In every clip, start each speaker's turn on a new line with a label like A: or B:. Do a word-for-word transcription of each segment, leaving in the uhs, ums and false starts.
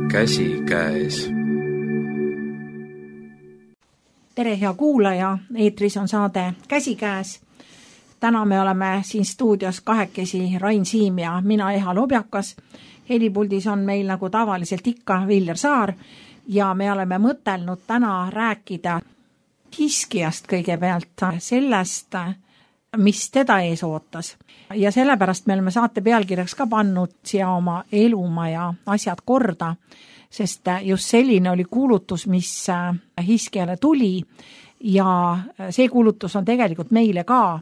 A: käsikäes.
B: Tere, hea kuulaja, eetris on saade Käsikäes. Täna me oleme siin stuudios kahekesi Rain Siim ja mina Eha Lobjakas. Helipuldis on meil nagu tavaliselt ikka Viljar Saar ja me oleme mõtelnud täna rääkida Hiskijast kõigepealt, sellest, mis teda ees ootas. Ja sellepärast me oleme saate pealkirjaks ka pannud siia oma elumaa ja asjad korda, sest just selline oli kuulutus, mis Hiskijale tuli ja see kuulutus on tegelikult meile ka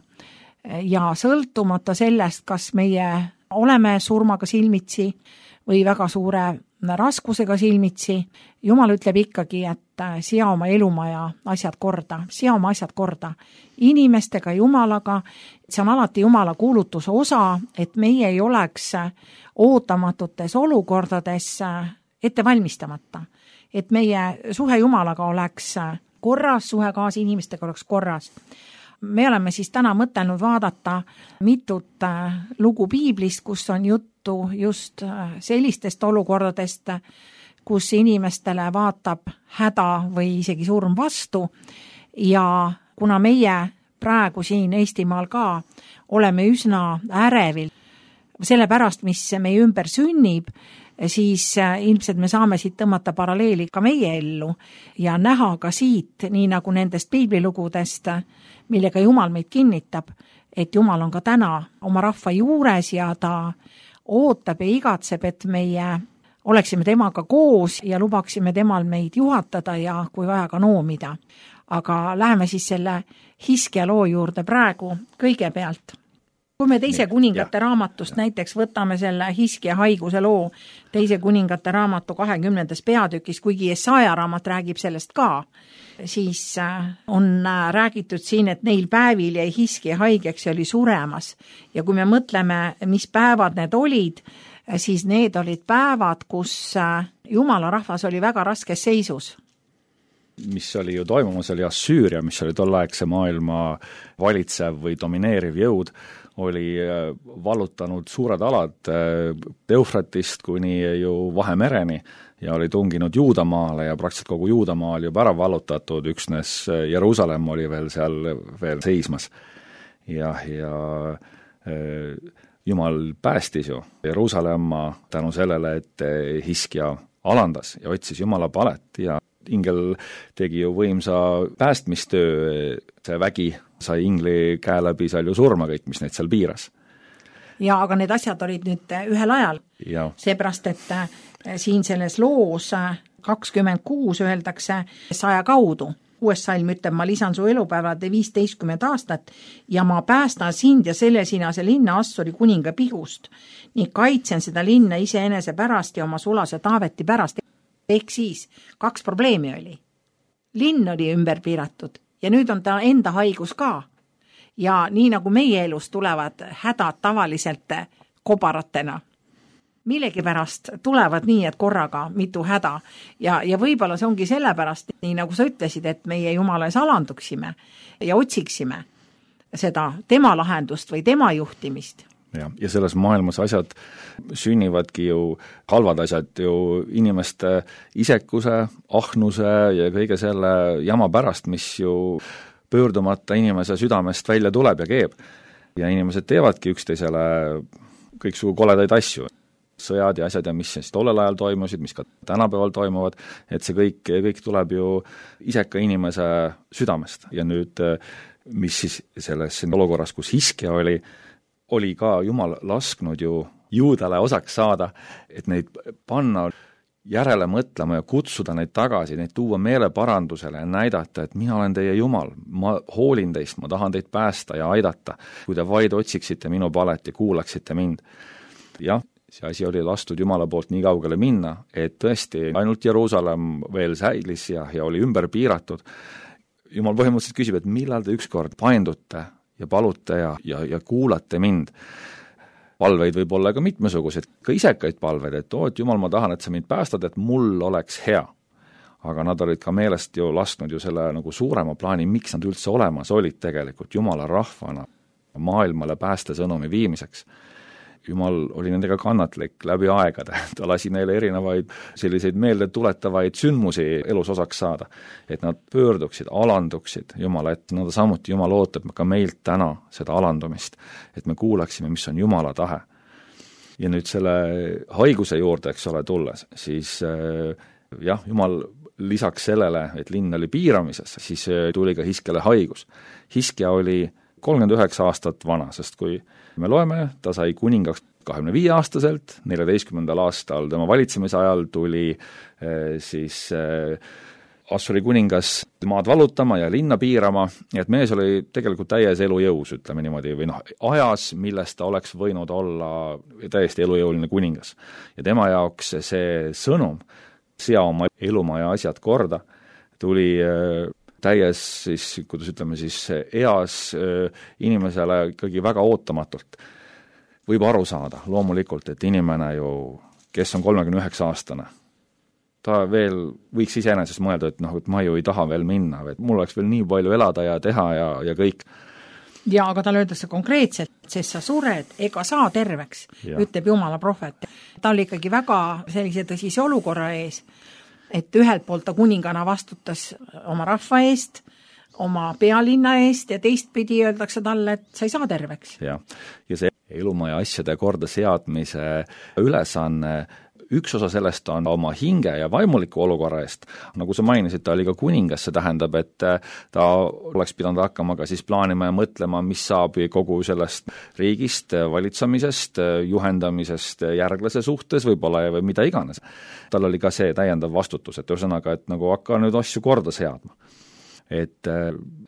B: ja sõltumata sellest, kas meie oleme surmaga silmitsi või väga suure raskusega silmitsi, Jumal ütleb ikkagi, et sea oma elumaa ja asjad korda, sea oma asjad korda inimestega, Jumalaga. See on alati Jumala kuulutuse osa, et meie ei oleks ootamatutes olukordades ette valmistamata, et meie suhe Jumalaga oleks korras, suhe kaasa inimestega oleks korras. Me oleme siis täna mõtelnud vaadata mitut lugu piiblist, kus on juttu just sellistest olukordadest, kus inimestele vaatab häda või isegi surm vastu ja kuna meie praegu siin Eestimaal ka oleme üsna ärevil sellepärast, mis meie ümber sünnib, siis ilmselt me saame siit tõmmata paralleeli ka meie ellu ja näha ka siit, nii nagu nendest piiblilugudest, millega Jumal meid kinnitab, et Jumal on ka täna oma rahva juures ja ta ootab ja igatseb, et meie oleksime temaga koos ja lubaksime temal meid juhatada ja kui vaja ka noomida. Aga läheme siis selle Hiskija loo juurde praegu kõigepealt. Kui me teise kuningate raamatust näiteks võtame selle Hiskija haiguse loo teise kuningate raamatu kahekümnendas peatükis, kuigi Jesaja raamat räägib sellest ka, siis on räägitud siin, et neil päevil jäi Hiskija haigeks ja oli suremas. Ja kui me mõtleme, mis päevad need olid, siis need olid päevad, kus Jumala rahvas oli väga raskes seisus.
C: Mis oli ju toimumas, oli Assüüria, mis oli tolleaegse maailma valitsev või domineeriv jõud, oli vallutanud suured alad Eufratist kuni ju Vahemereni ja oli tunginud Juudamaale ja praktiliselt kogu Juudamaa oli juba ära vallutatud, üksnes Jeruusalemm oli veel seal veel seismas. Ja, ja Jumal päästis ju Jeruusalemma tänu sellele, et Hiskija alandas ja otsis Jumala palet ja ingel tegi ju võimsa päästmistöö, see vägi sai ingli käe läbi seal ju surma kõik, mis neid seal piiras.
B: Ja aga need asjad olid nüüd ühel ajal. Ja. Seepärast, et siin selles loos kakskümmend kuus öeldakse saja kaudu. Uues salm ütleb, ma lisan su elupäevade viisteistkümmend aastat ja ma päästan sind ja selle sinase linna Assuri kuninga pihust ning kaitsen seda linna iseenese pärast ja oma sulase Taaveti pärast. Ehk siis kaks probleemi oli. Linn oli ümber piiratud ja nüüd on ta enda haigus ka. Ja nii nagu meie elus tulevad hädad tavaliselt kobaratena. Millegi pärast tulevad nii, et korraga mitu häda. Ja, ja võib-olla see ongi sellepärast, nii nagu sa ütlesid, et meie Jumala ees alanduksime ja otsiksime seda tema lahendust või tema juhtimist.
C: Ja, ja selles maailmas asjad sünnivadki ju, halvad asjad ju inimeste isekuse, ahnuse ja kõige selle jama pärast, mis ju pöördumata inimese südamest välja tuleb ja keeb. Ja inimesed teevadki üksteisele kõiksugu koledaid asju. Sõjad ja asjad ja mis siis tollel ajal toimusid, mis ka tänapäeval toimuvad, et see kõik, kõik tuleb ju iseka inimese südamest. Ja nüüd, mis siis selles olukorras, kus Hiskija oli, oli ka Jumal lasknud ju juudale osaks saada, et neid panna järele mõtlema ja kutsuda neid tagasi, neid tuua meeleparandusele ja näidata, et mina olen teie Jumal, ma hoolin teist, ma tahan teid päästa ja aidata, kui te vaid otsiksite minu palet ja kuulaksite mind. Jah, see asi oli lastud Jumala poolt nii kaugele minna, et tõesti ainult Jeruusalemm veel säilis ja, ja oli ümber piiratud. Jumal põhimõtteliselt küsib, et millal te ükskord paindute ja palute ja, ja, ja kuulate mind. Palveid võib olla ka mitmesugused, ka isekaid palveid, et oot Jumal, ma tahan, et sa mind päästad, et mul oleks hea. Aga nad olid ka meelest ju lasknud ju selle nagu suurema plaani, miks nad üldse olemas olid tegelikult Jumala rahvana maailmale päästesõnumi viimiseks. Jumal oli nendega kannatlik läbi aegade, ta lasi neile erinevaid selliseid meelde tuletavaid sündmusi elus osaks saada, et nad pöörduksid, alanduksid Jumala, et nad samuti Jumal ootab ka meilt täna seda alandumist, et me kuulaksime, mis on Jumala tahe. Ja nüüd selle haiguse juurde, eks ole, tulles, siis jah, Jumal lisaks sellele, et linn oli piiramises, siis tuli ka Hiskele haigus. Hiskja oli kolmkümmend üheksa aastat vana, sest kui me loeme, ta sai kuningaks kahekümne viie aastaselt, neljateistkümnendal aastal tema valitsemise ajal tuli siis Assuri kuningas maad vallutama ja linna piirama, et mees oli tegelikult täies elujõus, ütleme niimoodi, või noh, ajas, millest ta oleks võinud olla täiesti elujõuline kuningas. Ja tema jaoks see sõnum, sea oma elumaja asjad korda, tuli täies siis, kuidas ütleme siis, eas inimesele ikkagi väga ootamatult. Võib aru saada loomulikult, et inimene ju, kes on kolmekümne üheksa aastane, ta veel võiks iseenesest mõelda, et noh, et ma ju ei taha veel minna, et mul oleks veel nii palju elada ja teha ja, ja kõik.
B: Ja, aga tal öeldakse konkreetselt, sest sa sured, ega saa terveks, ja. Ütleb Jumala prohvet. Ta oli ikkagi väga sellise tõsise olukorra ees, et ühelt poolt ta kuningana vastutas oma rahva eest, oma pealinna eest ja teistpidi öeldakse talle, et sa ei saa terveks.
C: Ja, ja see elumaja asjade korda seadmise ülesanne, üks osa sellest on oma hinge ja vaimuliku olukorra eest. Nagu sa mainisid, ta oli ka kuningas, see tähendab, et ta oleks pidanud hakkama ka siis plaanima ja mõtlema, mis saab kogu sellest riigist, valitsemisest, juhendamisest järglase suhtes võib-olla või mida iganes. Tal oli ka see täiendav vastutus, et ühesõnaga, et nagu hakka nüüd asju korda seadma. Et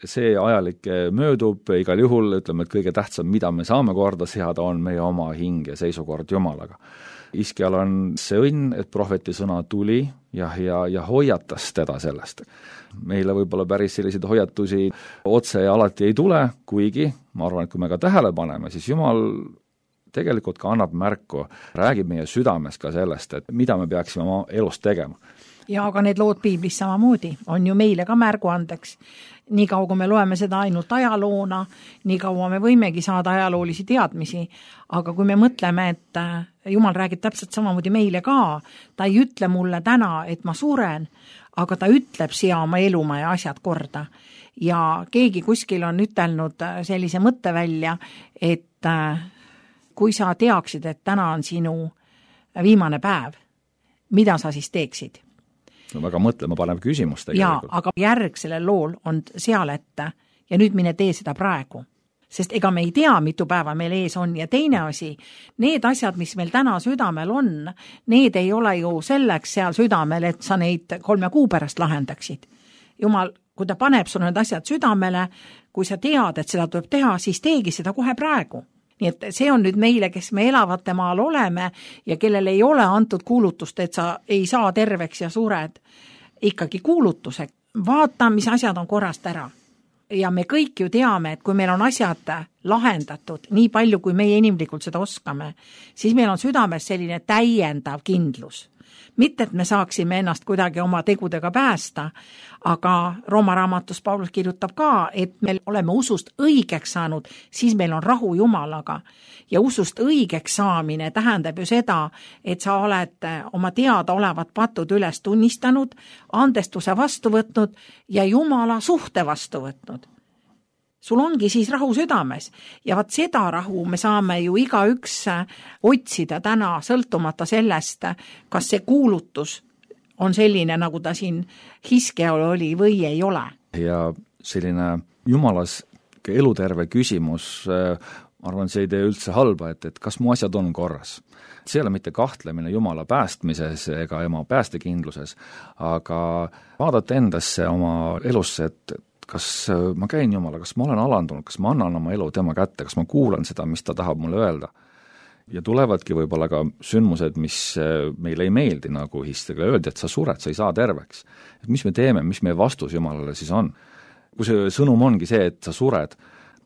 C: see ajalik möödub igal juhul, ütleme, et kõige tähtsam, mida me saame korda seada, on meie oma hing ja seisukord Jumalaga. Hiskjal on see õnn, et prohveti sõna tuli ja, ja, ja hoiatas teda sellest. Meile võib-olla päris selliseid hoiatusi otse ja alati ei tule, kuigi ma arvan, et kui me ka tähele paneme, siis Jumal tegelikult ka annab märku, räägib meie südames ka sellest, et mida me peaksime oma elus tegema.
B: Ja aga need lood piiblis samamoodi on ju meile ka märgu andeks. Nii kaua, kui me loeme seda ainult ajaloona, nii kaua me võimegi saada ajaloolisi teadmisi, aga kui me mõtleme, et Jumal räägib täpselt samamoodi meile ka, ta ei ütle mulle täna, et ma suren, aga ta ütleb sea oma elumaja asjad korda. Ja keegi kuskil on ütelnud sellise mõtte välja, et kui sa teaksid, et täna on sinu viimane päev, mida sa siis teeksid?
C: No väga mõtlema panev küsimus tegelikult.
B: Jaa, aga järg sellel lool on seal ette ja nüüd mine tee seda praegu. Sest ega me ei tea, mitu päeva meil ees on ja teine asi, need asjad, mis meil täna südamel on, need ei ole ju selleks seal südamel, et sa neid kolme kuu pärast lahendaksid. Jumal, kui ta paneb sul need asjad südamele, kui sa tead, et seda tuleb teha, siis teegi seda kohe praegu. Nii et see on nüüd meile, kes me elavate maal oleme ja kellel ei ole antud kuulutust, et sa ei saa terveks ja sured, ikkagi kuulutuse. Vaata, mis asjad on korrast ära. Ja me kõik ju teame, et kui meil on asjad lahendatud, nii palju kui meie inimlikult seda oskame, siis meil on südames selline täiendav kindlus. Mitte, et me saaksime ennast kuidagi oma tegudega päästa, aga Rooma raamatus Paulus kirjutab ka, et me oleme usust õigeks saanud, siis meil on rahu Jumalaga. Ja usust õigeks saamine tähendab ju seda, et sa oled oma teada olevat patud üles tunnistanud, andestuse vastu võtnud ja Jumala suhte vastu võtnud. Sul ongi siis rahu südames ja vaat seda rahu me saame ju igaüks otsida täna sõltumata sellest, kas see kuulutus on selline, nagu ta siin Hiskjal oli või ei ole.
C: Ja selline jumalas eluterve küsimus, ma arvan, see ei tee üldse halba, et, et kas mu asjad on korras. See ei ole mitte kahtlemine Jumala päästmises ega ema päästekindluses, aga vaadata endasse oma elusse, et kas ma käin Jumala, kas ma olen alandunud, kas ma annan oma elu tema kätte, kas ma kuulan seda, mis ta tahab mulle öelda. Ja tulevadki võib-olla ka sündmused, mis meile ei meeldi, nagu Hiskjale öeldi, et sa sured, sa ei saa terveks. Et mis me teeme, mis meie vastus Jumalale siis on? Kui see sõnum ongi see, et sa sured,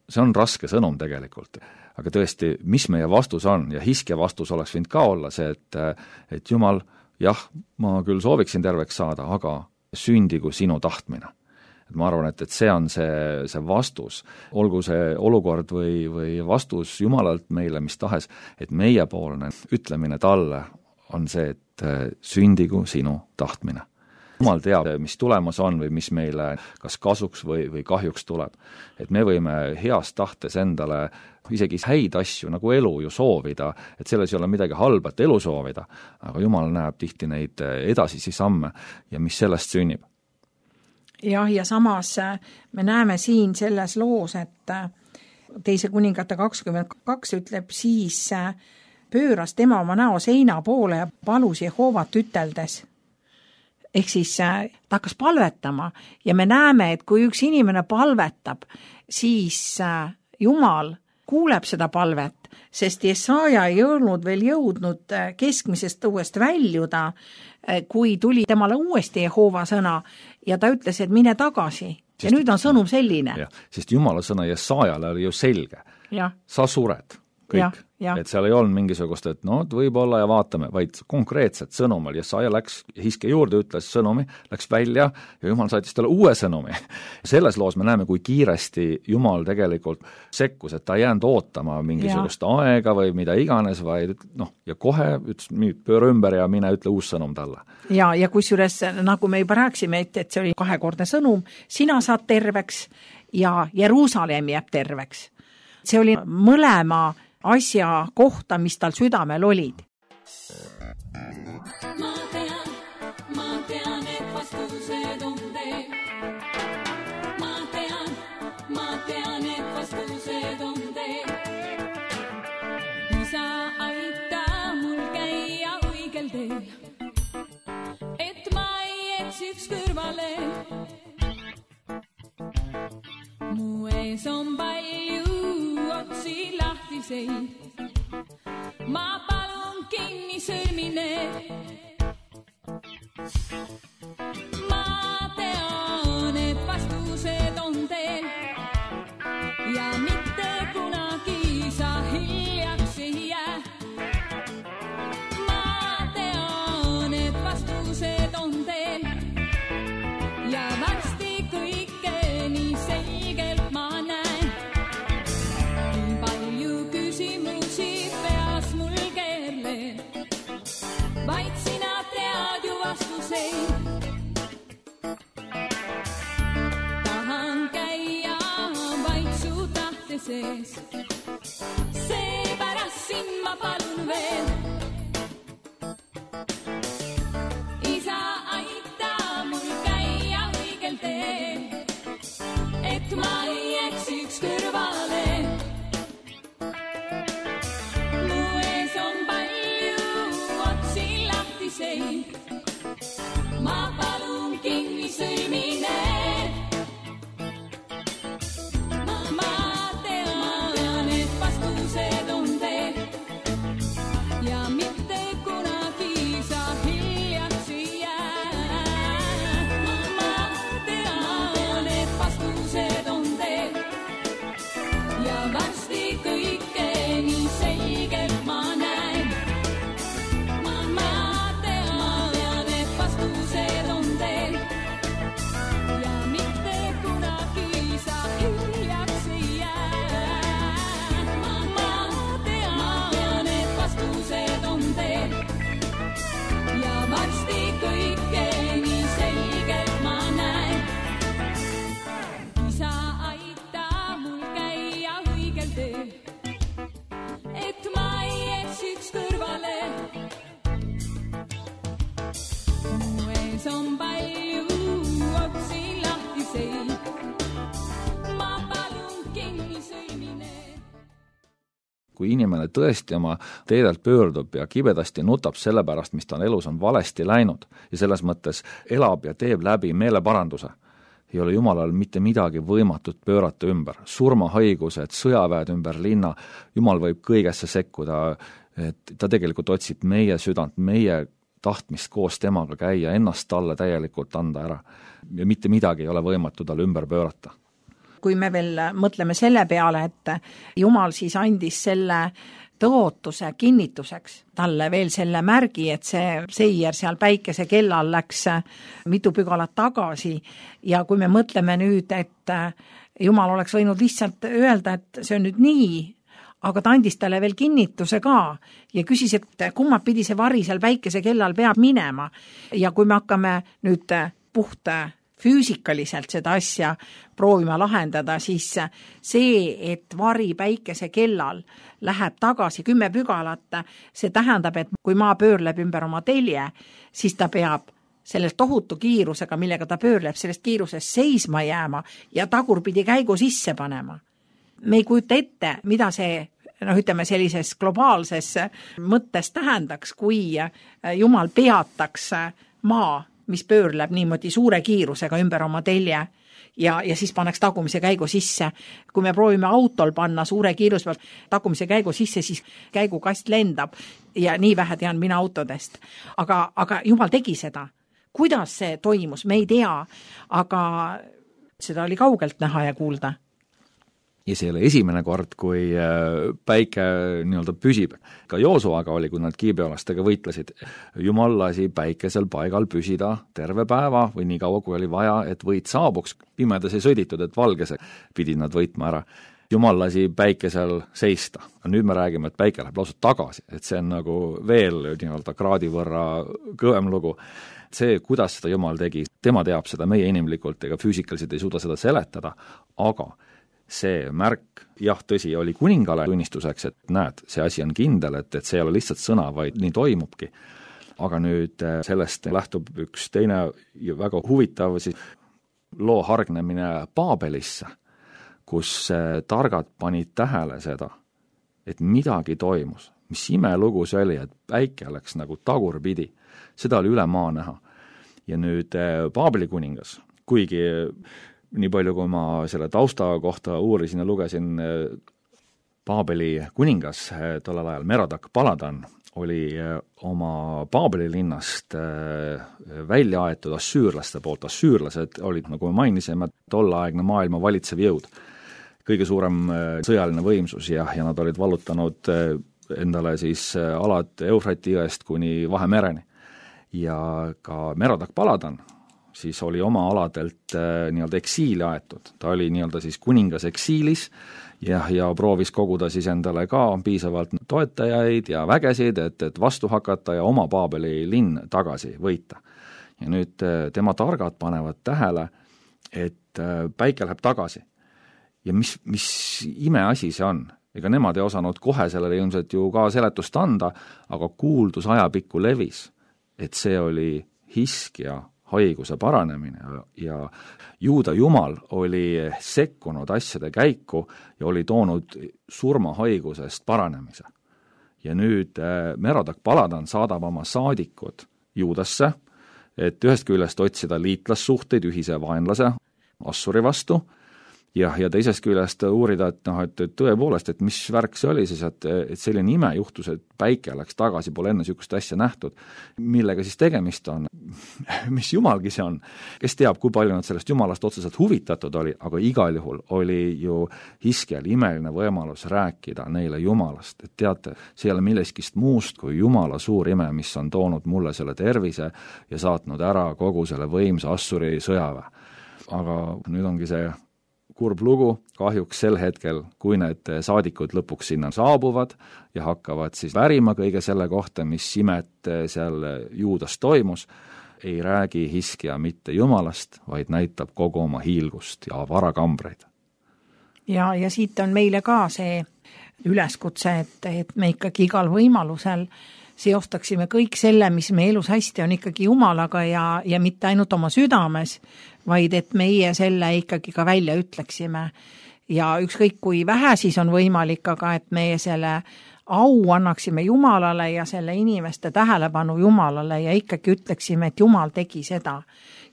C: see on raske sõnum tegelikult. Aga tõesti, mis meie vastus on, ja Hiskja vastus oleks võinud ka olla see, et, et Jumal, jah, ma küll sooviksin terveks saada, aga sündigu sinu tahtmine. et ma arvan, et, et see on see, see vastus, olgu see olukord või, või vastus Jumalalt meile mis tahes, et meiepoolne ütlemine talle on see, et sündigu sinu tahtmine. Jumal teab, mis tulemas on või mis meile kas kasuks või, või kahjuks tuleb. Et me võime heas tahtes endale isegi häid asju nagu elu ju soovida, et selles ei ole midagi halba, et elu soovida, aga Jumal näeb tihti neid edasisi samme ja mis sellest sünnib.
B: Jah, ja samas me näeme siin selles loos, et teise kuningate kakskümmend kaks ütleb siis pööras tema oma näo seina poole ja palus Jehovat üteldes. Ehk siis ta hakkas palvetama ja me näeme, et kui üks inimene palvetab, siis Jumal kuuleb seda palvet, sest Jesaja ei olnud veel jõudnud keskmisest uuest väljuda, kui tuli temale uuesti Jehova sõna ja ta ütles, et mine tagasi. Sest, ja nüüd on sõnum selline.
C: Ja, sest Jumala sõna Jesajale oli ju selge.
B: Ja.
C: Sa sured. Kõik. Ja, ja. Et seal ei olnud mingisugust, et no võib-olla ja vaatame, vaid konkreetset sõnumil. Jesaja läks hiske juurde, ütles sõnumi, läks välja ja Jumal saatis talle uue sõnumi. Selles loos me näeme, kui kiiresti Jumal tegelikult sekkus, et ta ei jäänud ootama mingisugust ja. aega või mida iganes, vaid noh, ja kohe ütles, nüüd pööra ümber ja mine ütle uus sõnum talle.
B: Ja, ja kusjuures, nagu me juba rääksime, et, et see oli kahekordne sõnum, sina saad terveks ja Jeruusalemm jääb terveks. See oli mõlema asja kohta, mis tal südamel olid. Ma tean, ma tean, et vastused on teil. Ma tean, ma tean, et vastused on teil. Isa aita mul käia õigel teel, et ma ei eksiks kõrvale. Mu ees on palju otsi lahtiseid, ma palun kinni sõrmine. Ma tean, et vastused on teil ja mitte kunagi sa hiljaks ei jää. Ma tean, et vastused on teil ja varsti kõike nii selgelt ma näen. Nii palju küsimusi peas mul keerleen, vaid sina tead ju vastuseid. Tahan käia vaid su tahte sees, seepärast sind ma palun veel. Isa aita mul käia õigel teel, et ma ei eksiks kõrvale. Mu ees on palju otsi lahtiseid, ma palun kinni sõlmine. Ma tean, et vastused on teil ja mitte kunagi sa hiljaks ei jää. Ma tean, et vastused on teil ja varsti kõike nii selgelt ma näen. Ma tean, et vastused on teil ja mitte kunagi sa hiljaks ei jää. Ma tean, et vastused on teil ja varsti kõike nii selgelt ma näen. Isa aita mul käia õigel teel, et ma ei eksiks kõrvale. Mu ees on palju otsi lahtiseid, ma palun kinni sõlmine.
C: Kui inimene tõesti oma teedelt pöördub ja kibedasti nutab selle pärast, mis ta on elus on valesti läinud ja selles mõttes elab ja teeb läbi meeleparanduse, ei ole Jumalal mitte midagi võimatut pöörata ümber. Surmahaigused, sõjaväed ümber linna, Jumal võib kõigesse sekkuda, et ta tegelikult otsib meie südant, meie tahtmist koos temaga käia, ennast talle täielikult anda ära ja mitte midagi ei ole võimatu tal ümber pöörata.
B: Kui me veel mõtleme selle peale, et Jumal siis andis selle tõotuse kinnituseks talle veel selle märgi, et see seier seal päikese kellal läks mitu pügalat tagasi ja kui me mõtleme nüüd, et Jumal oleks võinud lihtsalt öelda, et see on nüüd nii, aga ta andis talle veel kinnituse ka ja küsis, et kummad pidi see vari seal päikese kellal peab minema. Ja kui me hakkame nüüd puht füüsikaliselt seda asja proovima lahendada, siis see, et vari päikese kellal läheb tagasi kümme pügalat, see tähendab, et kui maa pöörleb ümber oma telje, siis ta peab sellest tohutu kiirusega, millega ta pöörleb, sellest kiirusest seisma jääma ja tagurpidi käigu sisse panema. Me ei kujuta ette, mida see noh, ütleme sellises globaalses mõttes tähendaks, kui Jumal peataks maa, mis pöörleb niimoodi suure kiirusega ümber oma telje ja, ja siis paneks tagumise käigu sisse. Kui me proovime autol panna suure kiiruse pealt tagumise käigu sisse, siis käigukast lendab ja nii vähe tean mina autodest. Aga, aga Jumal tegi seda. Kuidas see toimus, me ei tea, aga seda oli kaugelt näha ja kuulda.
C: Ja see ei ole esimene kord, kui päike nii-öelda püsib. Ka Joosuaga oli, kui nad kiibeolastega võitlesid. Jumal lasi päikesel paigal püsida terve päeva või nii kaua, kui oli vaja, et võit saabuks. Pimedas ei sõditud, et valgese pidid nad võitma ära. Jumal lasi päikesel seista. Nüüd me räägime, et päike läheb lausa tagasi. Et see on nagu veel nii-öelda kraadi võrra kõvem lugu. See, kuidas seda Jumal tegi, tema teab seda, meie inimlikult ega füüsikaliselt ei suuda seda seletada, aga see märk, jah, tõsi, oli kuningale tunnistuseks, et näed, see asi on kindel, et, et see ei ole lihtsalt sõna, vaid nii toimubki. Aga nüüd sellest lähtub üks teine väga huvitav siis loo hargnemine Paabelisse, kus targad panid tähele seda, et midagi toimus. Mis imelugu see oli, et päike läks nagu tagurpidi. Seda oli üle maa näha. Ja nüüd Paabeli kuningas, kuigi nii palju, kui ma selle tausta kohta uurisin ja lugesin, Paabeli kuningas tollel ajal Merodak Baladan oli oma Paabeli linnast välja aetud assüürlaste poolt. Assüürlased olid, nagu me mainisime, tollaegne maailma valitsev jõud. Kõige suurem sõjaline võimsus ja, ja nad olid vallutanud endale siis alad Eufrati jõest kuni Vahemereni. Ja ka Merodak Baladan siis oli oma aladelt äh, nii-öelda eksiili aetud. Ta oli nii-öelda siis kuningas eksiilis ja, ja proovis koguda siis endale ka piisavalt toetajaid ja vägesid, et, et vastu hakata ja oma Paabeli linn tagasi võita. Ja nüüd äh, tema targad panevad tähele, et äh, päike läheb tagasi. Ja mis, mis imeasi see on? Ega nemad ei osanud kohe sellele ilmselt ju ka seletust anda, aga kuuldus ajapikku levis, et see oli Hiskja haiguse paranemine ja Juuda Jumal oli sekkunud asjade käiku ja oli toonud surmahaigusest paranemise. Ja nüüd Merodak Baladan saadab oma saadikud Juudasse, et ühest küljest otsida liitlassuhteid ühise vaenlase Assuri vastu ja, ja teisest küljest uurida, et, noh, et, et tõepoolest, et mis värk see oli siis, et, et selline ime juhtus, et päike läks tagasi, pole enne niisugust asja nähtud. Millega siis tegemist on? Mis jumalgi see on? Kes teab, kui palju nad sellest jumalast otseselt huvitatud oli, aga igal juhul oli ju Hiskjal imeline võimalus rääkida neile jumalast. Et teate, see ei ole milleskist muust kui jumala suur ime, mis on toonud mulle selle tervise ja saatnud ära kogu selle võimsa Assuri sõjaväe. Aga nüüd ongi see kurb lugu, kahjuks sel hetkel, kui need saadikud lõpuks sinna saabuvad ja hakkavad siis värima kõige selle kohta, mis imet seal Juudas toimus, ei räägi Hiskja mitte jumalast, vaid näitab kogu oma hiilgust ja varakambreid.
B: Ja, ja siit on meile ka see üleskutse, et, et me ikkagi igal võimalusel seostaksime kõik selle, mis me elus hästi on ikkagi Jumalaga ja, ja mitte ainult oma südames, vaid et meie selle ikkagi ka välja ütleksime. Ja ükskõik kui vähe siis on võimalik, aga et meie selle au annaksime Jumalale ja selle inimeste tähelepanu Jumalale ja ikkagi ütleksime, et Jumal tegi seda.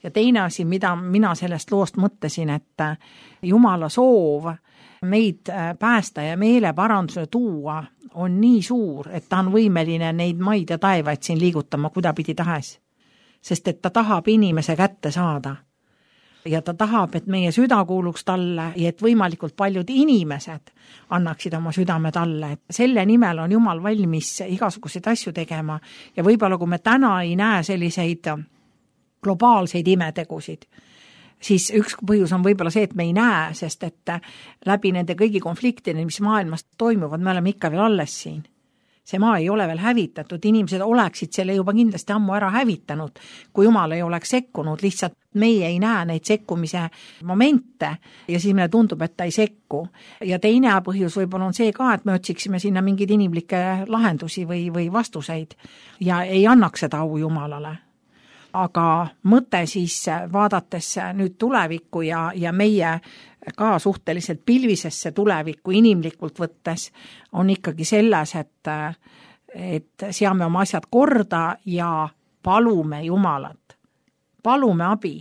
B: Ja teine asi, mida mina sellest loost mõtlesin, et Jumala soov meid päästa ja meeleparanduse tuua on nii suur, et ta on võimeline neid maid ja taevaid siin liigutama kudapidi tahes. Sest et ta tahab inimese kätte saada. ja ta tahab, et meie süda kuuluks talle ja et võimalikult paljud inimesed annaksid oma südame talle. Et selle nimel on Jumal valmis igasuguseid asju tegema ja võib-olla kui me täna ei näe selliseid globaalseid imetegusid, siis üks põhjus on võib-olla see, et me ei näe, sest et läbi nende kõigi konfliktide, mis maailmas toimuvad, me oleme ikka veel alles siin. See maa ei ole veel hävitatud, inimesed oleksid selle juba kindlasti ammu ära hävitanud, kui Jumal ei oleks sekkunud, lihtsalt meie ei näe neid sekkumise momente ja siis meile tundub, et ta ei sekku. Ja teine põhjus võib-olla on see ka, et me otsiksime sinna mingeid inimlikke lahendusi või, või vastuseid ja ei annaks seda au Jumalale. Aga mõte siis vaadates nüüd tulevikku ja, ja meie ka suhteliselt pilvisesse tulevikku inimlikult võttes on ikkagi selles, et, et seame oma asjad korda ja palume Jumalat. Palume abi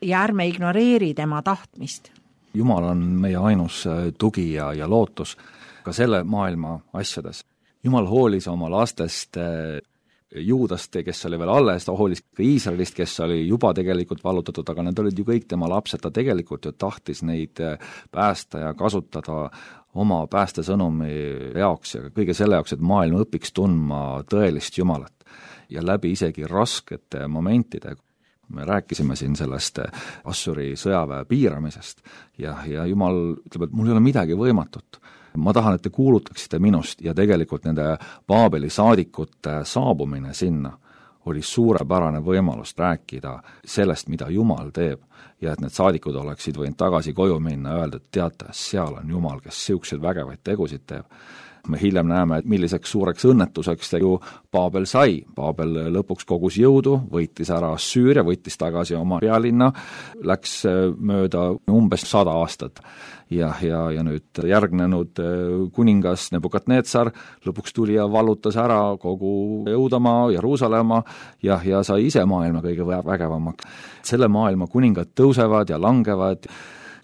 B: ja ärme ignoreeri tema tahtmist.
C: Jumal on meie ainus tugi ja, ja lootus ka selle maailma asjades. Jumal hoolis oma lastest Juudast, kes oli veel alles, ta hoolis ka Iisraelist, kes oli juba tegelikult vallutatud, aga need olid ju kõik tema lapsed, ta tegelikult ju tahtis neid päästa ja kasutada oma päästesõnumi jaoks ja kõige selle jaoks, et maailm õpiks tundma tõelist Jumalat. Ja läbi isegi raskete momentide, me rääkisime siin sellest Assuri sõjaväe piiramisest ja, ja Jumal ütleb, et mul ei ole midagi võimatut. Ma tahan, et te kuulutaksite minust ja tegelikult nende Paabeli saadikute saabumine sinna oli suurepärane võimalus rääkida sellest, mida Jumal teeb ja et need saadikud oleksid võinud tagasi koju minna ja öelda, et teate, seal on Jumal, kes siukseid vägevaid tegusid teeb. Me hiljem näeme, et milliseks suureks õnnetuseks ju Paabel sai. Paabel lõpuks kogus jõudu, võitis ära Süüria, võitis tagasi oma pealinna, läks mööda umbes sada aastat. Ja, ja, ja nüüd järgnenud kuningas Nebukadnetsar lõpuks tuli ja vallutas ära kogu Jõudamaa, Jeruusalemma ja, ja sai ise maailma kõige vägevamaks. Selle maailma kuningad tõusevad ja langevad,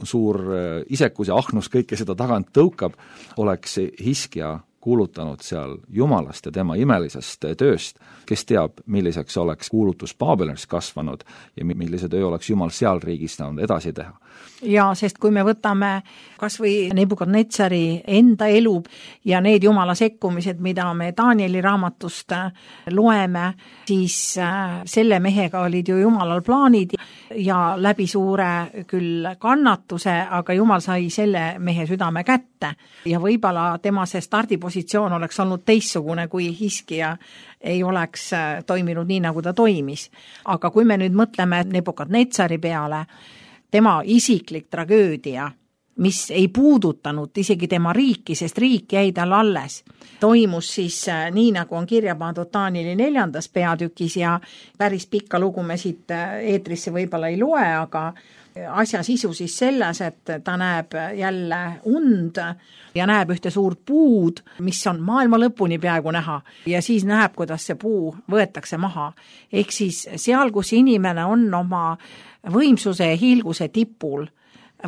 C: suur isekus ja ahnus kõike seda tagant tõukab, oleks Hiskja kuulutanud seal Jumalast ja tema imelisest tööst, kes teab, milliseks oleks kuulutus Paabelis kasvanud ja millise töö oleks Jumal seal riigis saanud edasi teha.
B: Ja sest kui me võtame kas või Nebukadnetsari enda elu ja need Jumala sekkumised, mida me Danieli raamatust loeme, siis selle mehega olid ju Jumalal plaanid ja läbi suure küll kannatuse, aga Jumal sai selle mehe südame kätte ja võib-olla tema see stardipositsioon oleks olnud teissugune, kui Hiskja ei oleks toiminud nii, nagu ta toimis. Aga kui me nüüd mõtleme Nebukadnetsari peale, tema isiklik tragöödia, mis ei puudutanud isegi tema riiki, sest riik jäi tal alles, toimus siis nii, nagu on kirja pandud Danieli neljandas peatükis ja päris pikka lugu me siit eetrisse võib-olla ei loe, aga asja sisu siis selles, et ta näeb jälle und ja näeb ühte suurt puud, mis on maailma lõpuni peaaegu näha ja siis näeb, kuidas see puu võetakse maha. Ehk siis seal, kus inimene on oma võimsuse ja hiilguse tipul,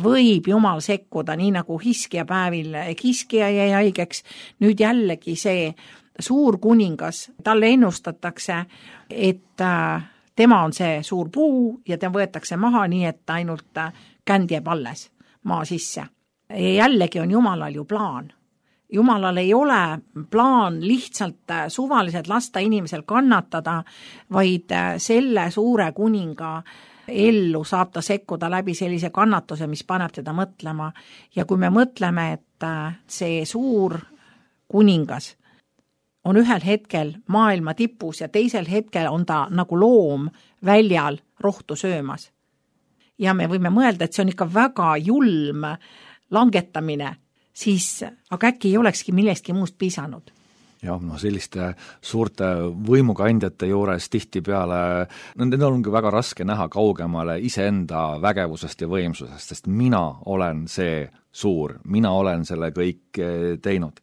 B: võib Jumal sekkuda, nii nagu Hiskja päevil Hiskja jäi haigeks. Nüüd jällegi see suur kuningas, talle ennustatakse, et tema on see suur puu ja ta võetakse maha nii, et ainult känd jääb alles maa sisse. Ja jällegi on Jumalal ju plaan. Jumalal ei ole plaan lihtsalt suvaliselt lasta inimesel kannatada, vaid selle suure kuninga ellu saab ta sekkuda läbi sellise kannatuse, mis paneb teda mõtlema. Ja kui me mõtleme, et see suur kuningas on ühel hetkel maailma tipus ja teisel hetkel on ta nagu loom väljal rohtu söömas. Ja me võime mõelda, et see on ikka väga julm langetamine, siis aga äkki ei olekski millestki muust piisanud.
C: Jah, no selliste suurte võimukandjate juures tihtipeale, no need ongi väga raske näha kaugemale iseenda vägevusest ja võimsusest, sest mina olen see suur, mina olen selle kõik teinud.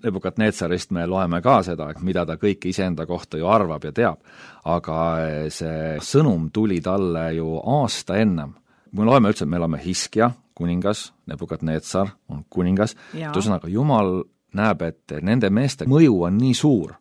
C: Nebukadnetsarist me loeme ka seda, mida ta kõik iseenda kohta ju arvab ja teab, aga see sõnum tuli talle ju aasta ennem. Me loeme üldse, et me oleme Hiskja, kuningas, Nebukadnetsar on kuningas, tõusõnaga Jumal näeb, et nende meeste mõju on nii suur,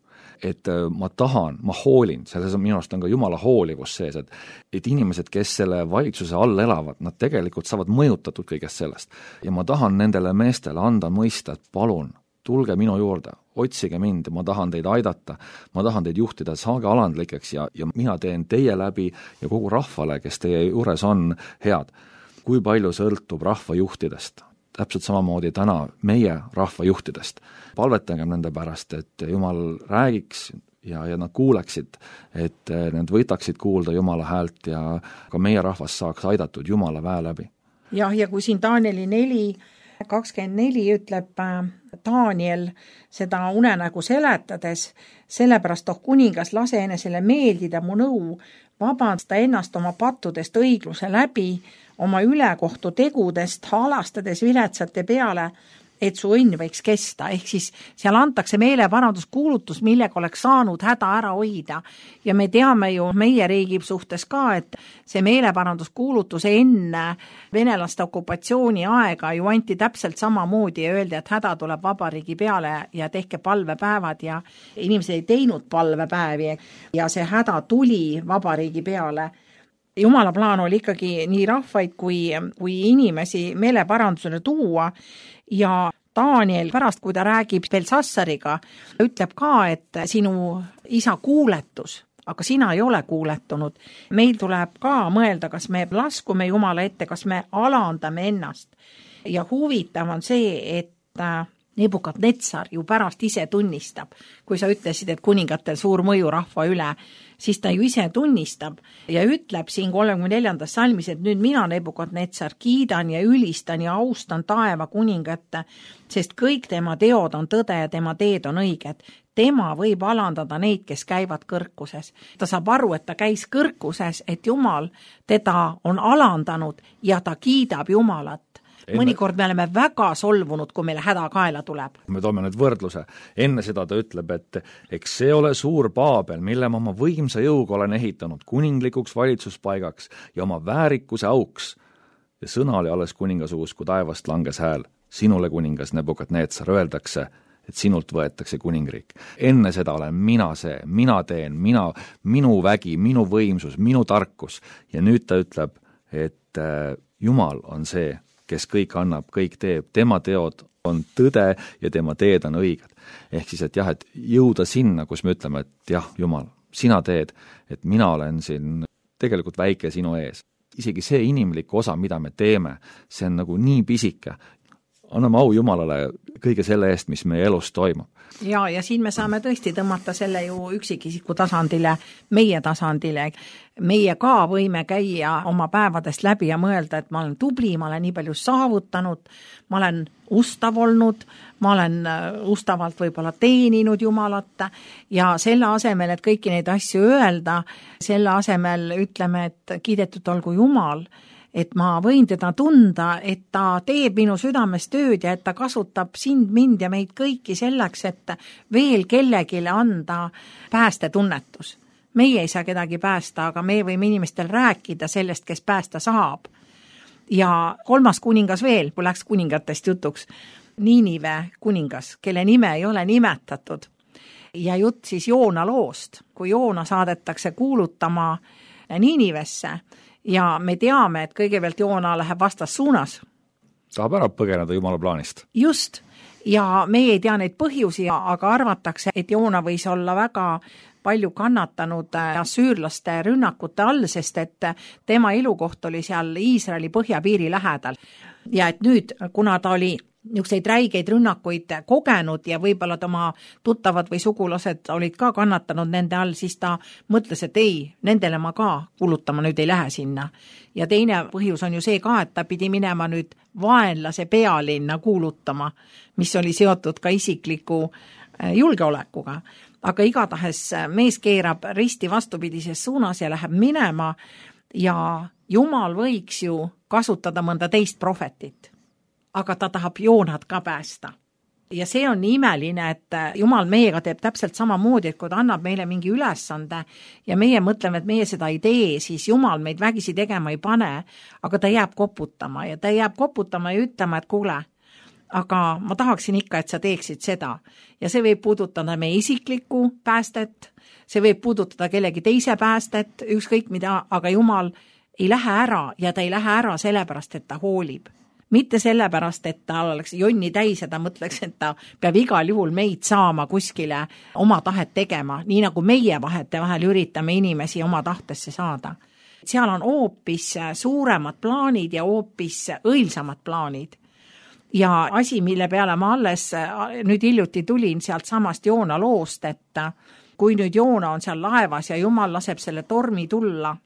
C: et ma tahan, ma hoolin, selles on minu arust on ka Jumala hoolivus sees, et, et inimesed, kes selle valitsuse all elavad, nad tegelikult saavad mõjutatud kõigest sellest. Ja ma tahan nendele meestele anda mõista, et palun, tulge minu juurde, otsige mind, ma tahan teid aidata, ma tahan teid juhtida, saage alandlikeks ja, ja mina teen teie läbi ja kogu rahvale, kes teie juures on, head. Kui palju sõltub rahvajuhtidest? Täpselt samamoodi täna meie rahvajuhtidest. Palvetagem nende pärast, et Jumal räägiks ja, ja nad kuuleksid, et nad võtaksid kuulda Jumala häält ja ka meie rahvas saaks aidatud Jumala väe läbi.
B: Jah, ja kui siin Danieli neli kakskümmend neli ütleb Daniel seda unenägu seletades, sellepärast oh kuningas lase enesele meeldida mu nõu, vabanda ennast oma pattudest õigluse läbi, oma ülekohtu tegudest, halastades viletsate peale, et su õnn võiks kesta. Ehk siis seal antakse meeleparanduskuulutus, millega oleks saanud häda ära hoida. Ja me teame ju meie riigi suhtes ka, et see meeleparanduskuulutus enne venelaste okupatsiooni aega ju anti täpselt samamoodi ja öeldi, et häda tuleb vabariigi peale ja tehke palvepäevad ja inimesed ei teinud palvepäevi ja see häda tuli vabariigi peale. Jumala plaan oli ikkagi nii rahvaid kui, kui inimesi meeleparandusele tuua ja Daniel pärast, kui ta räägib Belsassariga, ütleb ka, et sinu isa kuuletus, aga sina ei ole kuuletunud. Meil tuleb ka mõelda, kas me laskume Jumala ette, kas me alandame ennast. Ja huvitav on see, et Nebukadnetsar ju pärast ise tunnistab, kui sa ütlesid, et kuningatel suur mõju rahva üle, siis ta ju ise tunnistab ja ütleb siin kolmekümne neljandas salmis, et nüüd mina Nebukadnetsar kiidan ja ülistan ja austan taeva kuningatte, sest kõik tema teod on tõde ja tema teed on õiged. Tema võib alandada neid, kes käivad kõrkuses. Ta saab aru, et ta käis kõrkuses, et Jumal teda on alandanud ja ta kiidab Jumalat. Mõnikord me oleme väga solvunud, kui meile häda kaela tuleb.
C: Me toome nüüd võrdluse. Enne seda ta ütleb, et eks see ole suur Paabel, mille ma oma võimsa jõuga olen ehitanud kuninglikuks valitsuspaigaks ja oma väärikuse auks. Ja sõna oli alles kuningasuus, kui taevast langes hääl. Sinule kuningas Nebukadnetsar öeldakse, et sinult võetakse kuningriik. Enne seda olen mina see, mina teen, mina, minu vägi, minu võimsus, minu tarkus. Ja nüüd ta ütleb, et Jumal on see, kes kõik annab, kõik teeb, tema teod on tõde ja tema teed on õiged. Ehk siis, et jah, et jõuda sinna, kus me ütleme, et jah, Jumal, sina teed, et mina olen siin tegelikult väike sinu ees. Isegi see inimlik osa, mida me teeme, see on nagu nii pisike. Anname au Jumalale kõige selle eest, mis meie elus toimub.
B: Ja, ja siin me saame tõesti tõmmata selle ju üksikisiku tasandile, meie tasandile. Meie ka võime käia oma päevadest läbi ja mõelda, et ma olen tubli, ma olen nii palju saavutanud, ma olen ustav olnud, ma olen ustavalt võib-olla teeninud Jumalat ja selle asemel, et kõiki neid asju öelda, selle asemel ütleme, et kiidetud olgu Jumal, et ma võin teda tunda, et ta teeb minu südames tööd ja et ta kasutab sind, mind ja meid kõiki selleks, et veel kellegile anda päästetunnetus. Meie ei saa kedagi päästa, aga me võime inimestel rääkida sellest, kes päästa saab. Ja kolmas kuningas veel, kui läks kuningatest jutuks, Niinive kuningas, kelle nime ei ole nimetatud. Ja jutt siis Joona loost, kui Joona saadetakse kuulutama Niinivesse, ja me teame, et kõigepealt Joona läheb vastas suunas.
C: Tahab ära põgeneda Jumala plaanist.
B: Just, ja me ei tea neid põhjusi, aga arvatakse, et Joona võis olla väga palju kannatanud asüürlaste rünnakute all, sest et tema elukoht oli seal Iisraeli põhjapiiri lähedal. Ja et nüüd, kuna ta oli niisuguseid räigeid rünnakuid kogenud ja võib-olla oma tuttavad või sugulased olid ka kannatanud nende all, siis ta mõtles, et ei, nendele ma ka kulutama nüüd ei lähe sinna. Ja teine põhjus on ju see ka, et ta pidi minema nüüd vaenlase pealinna kuulutama, mis oli seotud ka isikliku julgeolekuga. Aga igatahes mees keerab risti vastupidises suunas ja läheb minema ja Jumal võiks ju kasutada mõnda teist profetit. Aga ta tahab Joonat ka päästa. Ja see on nii imeline, et Jumal meiega teeb täpselt samamoodi, et kui ta annab meile mingi ülesande ja meie mõtleme, et meie seda ei tee, siis Jumal meid vägisi tegema ei pane, aga ta jääb koputama ja ta jääb koputama ja ütlema, et kuule, aga ma tahaksin ikka, et sa teeksid seda. Ja see võib puudutada meie isiklikku päästet, see võib puudutada kellegi teise päästet, ükskõik mida, aga Jumal ei lähe ära ja ta ei lähe ära sellepärast, et ta hoolib. Mitte sellepärast, et ta oleks jonni täis ja ta mõtleks, et ta peab igal juhul meid saama kuskile oma tahet tegema, nii nagu meie vahete vahel üritame inimesi oma tahtesse saada. Seal on hoopis suuremad plaanid ja hoopis õilsamad plaanid. Ja asi, mille peale ma alles nüüd hiljuti tulin sealt samast Joona loost, et kui nüüd Joona on seal laevas ja Jumal laseb selle tormi tulla,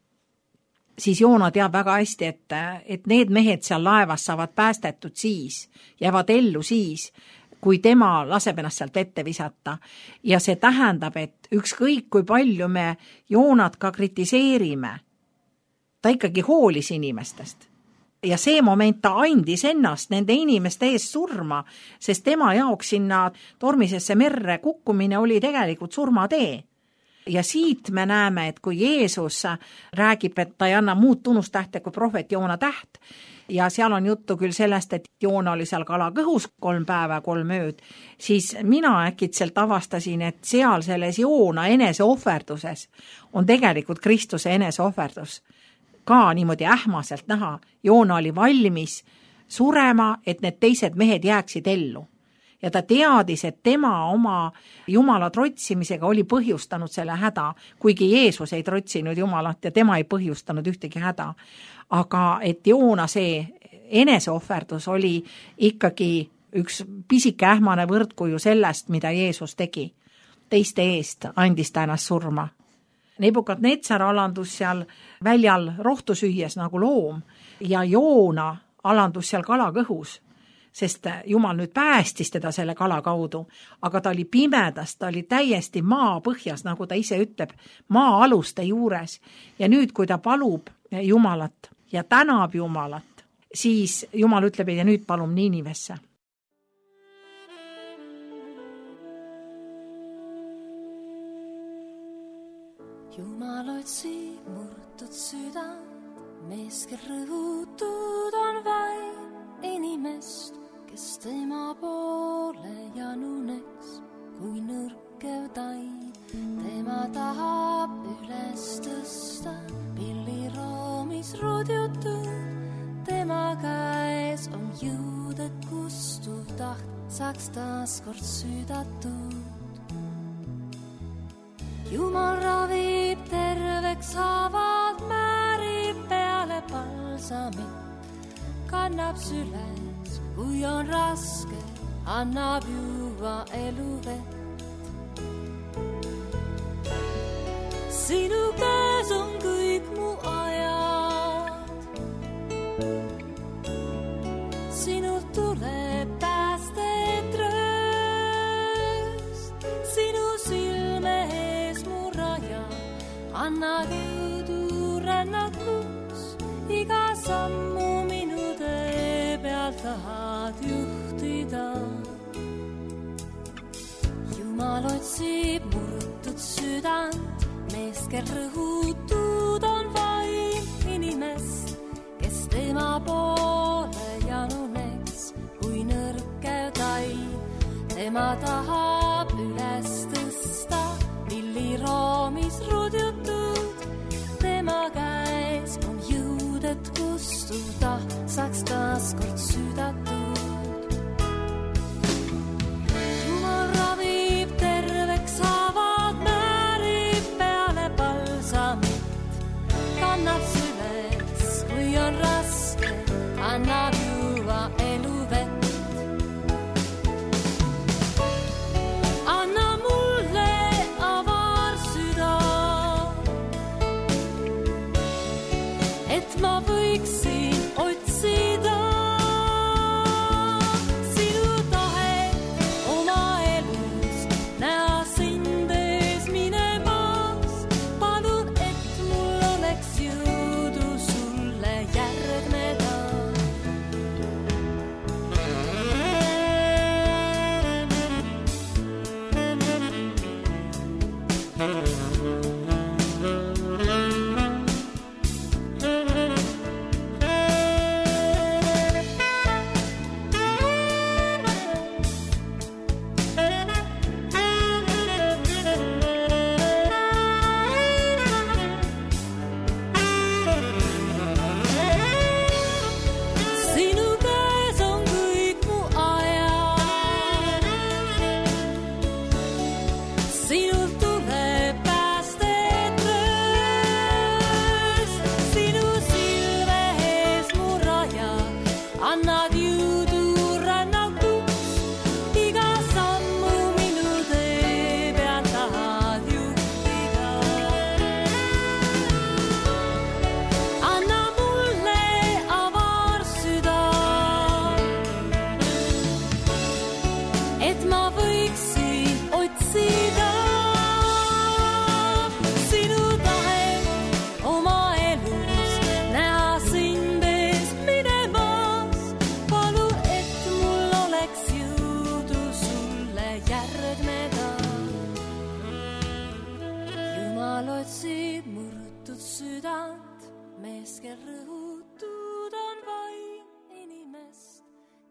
B: siis Joona teab väga hästi, et, et need mehed seal laevas saavad päästetud siis, jäävad ellu siis, kui tema laseb ennast sealt vette visata. Ja see tähendab, et ükskõik kui palju me Joonat ka kritiseerime, ta ikkagi hoolis inimestest. Ja see moment ta andis ennast nende inimeste ees surma, sest tema jaoks sinna tormisesse merre kukkumine oli tegelikult surmatee. Ja siit me näeme, et kui Jeesus räägib, et ta ei anna muud tunnustähte kui prohvet Joona täht, ja seal on juttu küll sellest, et Joona oli seal kalakõhus kolm päeva, kolm ööd, siis mina äkitselt avastasin, et seal selles Joona eneseohverduses on tegelikult Kristuse eneseohverdus. Ka niimoodi ähmaselt näha, Joona oli valmis surema, et need teised mehed jääksid ellu. Ja ta teadis, et tema oma Jumala trotsimisega oli põhjustanud selle häda, kuigi Jeesus ei trotsinud Jumalat ja tema ei põhjustanud ühtegi häda. Aga et Joona see eneseohverdus oli ikkagi üks pisike ähmane võrdkuju sellest, mida Jeesus tegi. Teiste eest andis ta ennast surma. Nebukadnetsar alandus seal väljal rohtu süües nagu loom ja Joona alandus seal kalakõhus, sest Jumal nüüd päästis teda selle kala kaudu, aga ta oli pimedas, ta oli täiesti maa põhjas, nagu ta ise ütleb, maa aluste juures. Ja nüüd, kui ta palub Jumalat ja tänab Jumalat, siis Jumal ütleb, ja nüüd palum Niinivesse.
A: Jumal otsib murtud südant, mees, kel rõhutud on vaid inimest, kes tema poole januneks, kui nõrkev tai. Tema tahab üles tõsta, pilliroomis rudjutud, tema käes on jõud, et kustuv taht saaks taas kord südatud. Jumal ravib terveks haavad, määrib peale palsamit, kannab süles, kui on raske, annab juua eluvett. Sinu käes on kõik mu ajad, sinult tuleb päästet rööst, sinu silme ees mu raja, anna jõudu rännakus, iga sammu minu tee peal tahad juhtida. Jumal otsib murtud südant, mees, kel rõhutud on vaim inimest, kes tema poole januneks, kui nõrkev tai. Tema tahab üles tõsta, pilliroomis rudjutud, tema käes on jõud, et kustuda saaks taas kord südatud. Jumal ravib terveks haavad, määrib peale palsamit, kannab süles, kui on raske, annab juua eluvett. Anna mulle avar süda, et ma võiksin otsida sinu tahet oma elus, näha sind ees minemas. Palun, et mul oleks jõudu sulle järgneda. südant, mees, kel rõhutud on vaim inimest,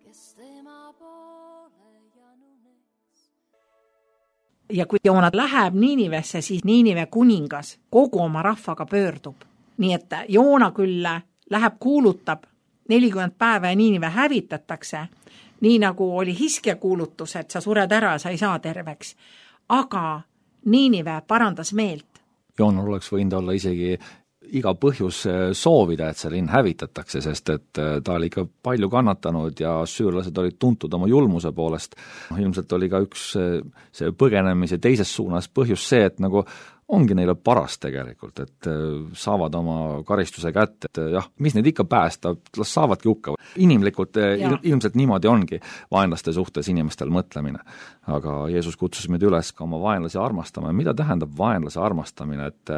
A: kes tema poole januneks.
B: Ja kui Joona läheb Niinivesse, siis Niinive kuningas kogu oma rahvaga pöördub. Nii et Joona küll läheb kuulutab nelikümmend päeva ja Niinive hävitatakse, nii nagu oli Hiskja kuulutus, et sa sured ära ja sa ei saa terveks. Aga Niinive parandas meelt.
C: Joonal oleks võinud olla isegi iga põhjus soovida, et see linn hävitatakse, sest et ta oli ikka palju kannatanud ja süürlased olid tuntud oma julmuse poolest. Ilmselt oli ka üks see põgenemise teises suunas põhjus see, et nagu ongi neile paras tegelikult, et saavad oma karistuse kätte, et jah, mis neid ikka päästab, las saavadki hukka. Inimlikult ja. ilmselt niimoodi ongi vaenlaste suhtes inimestel mõtlemine. Aga Jeesus kutsus meid üles ka oma vaenlasi armastama. Mida tähendab vaenlase armastamine? Et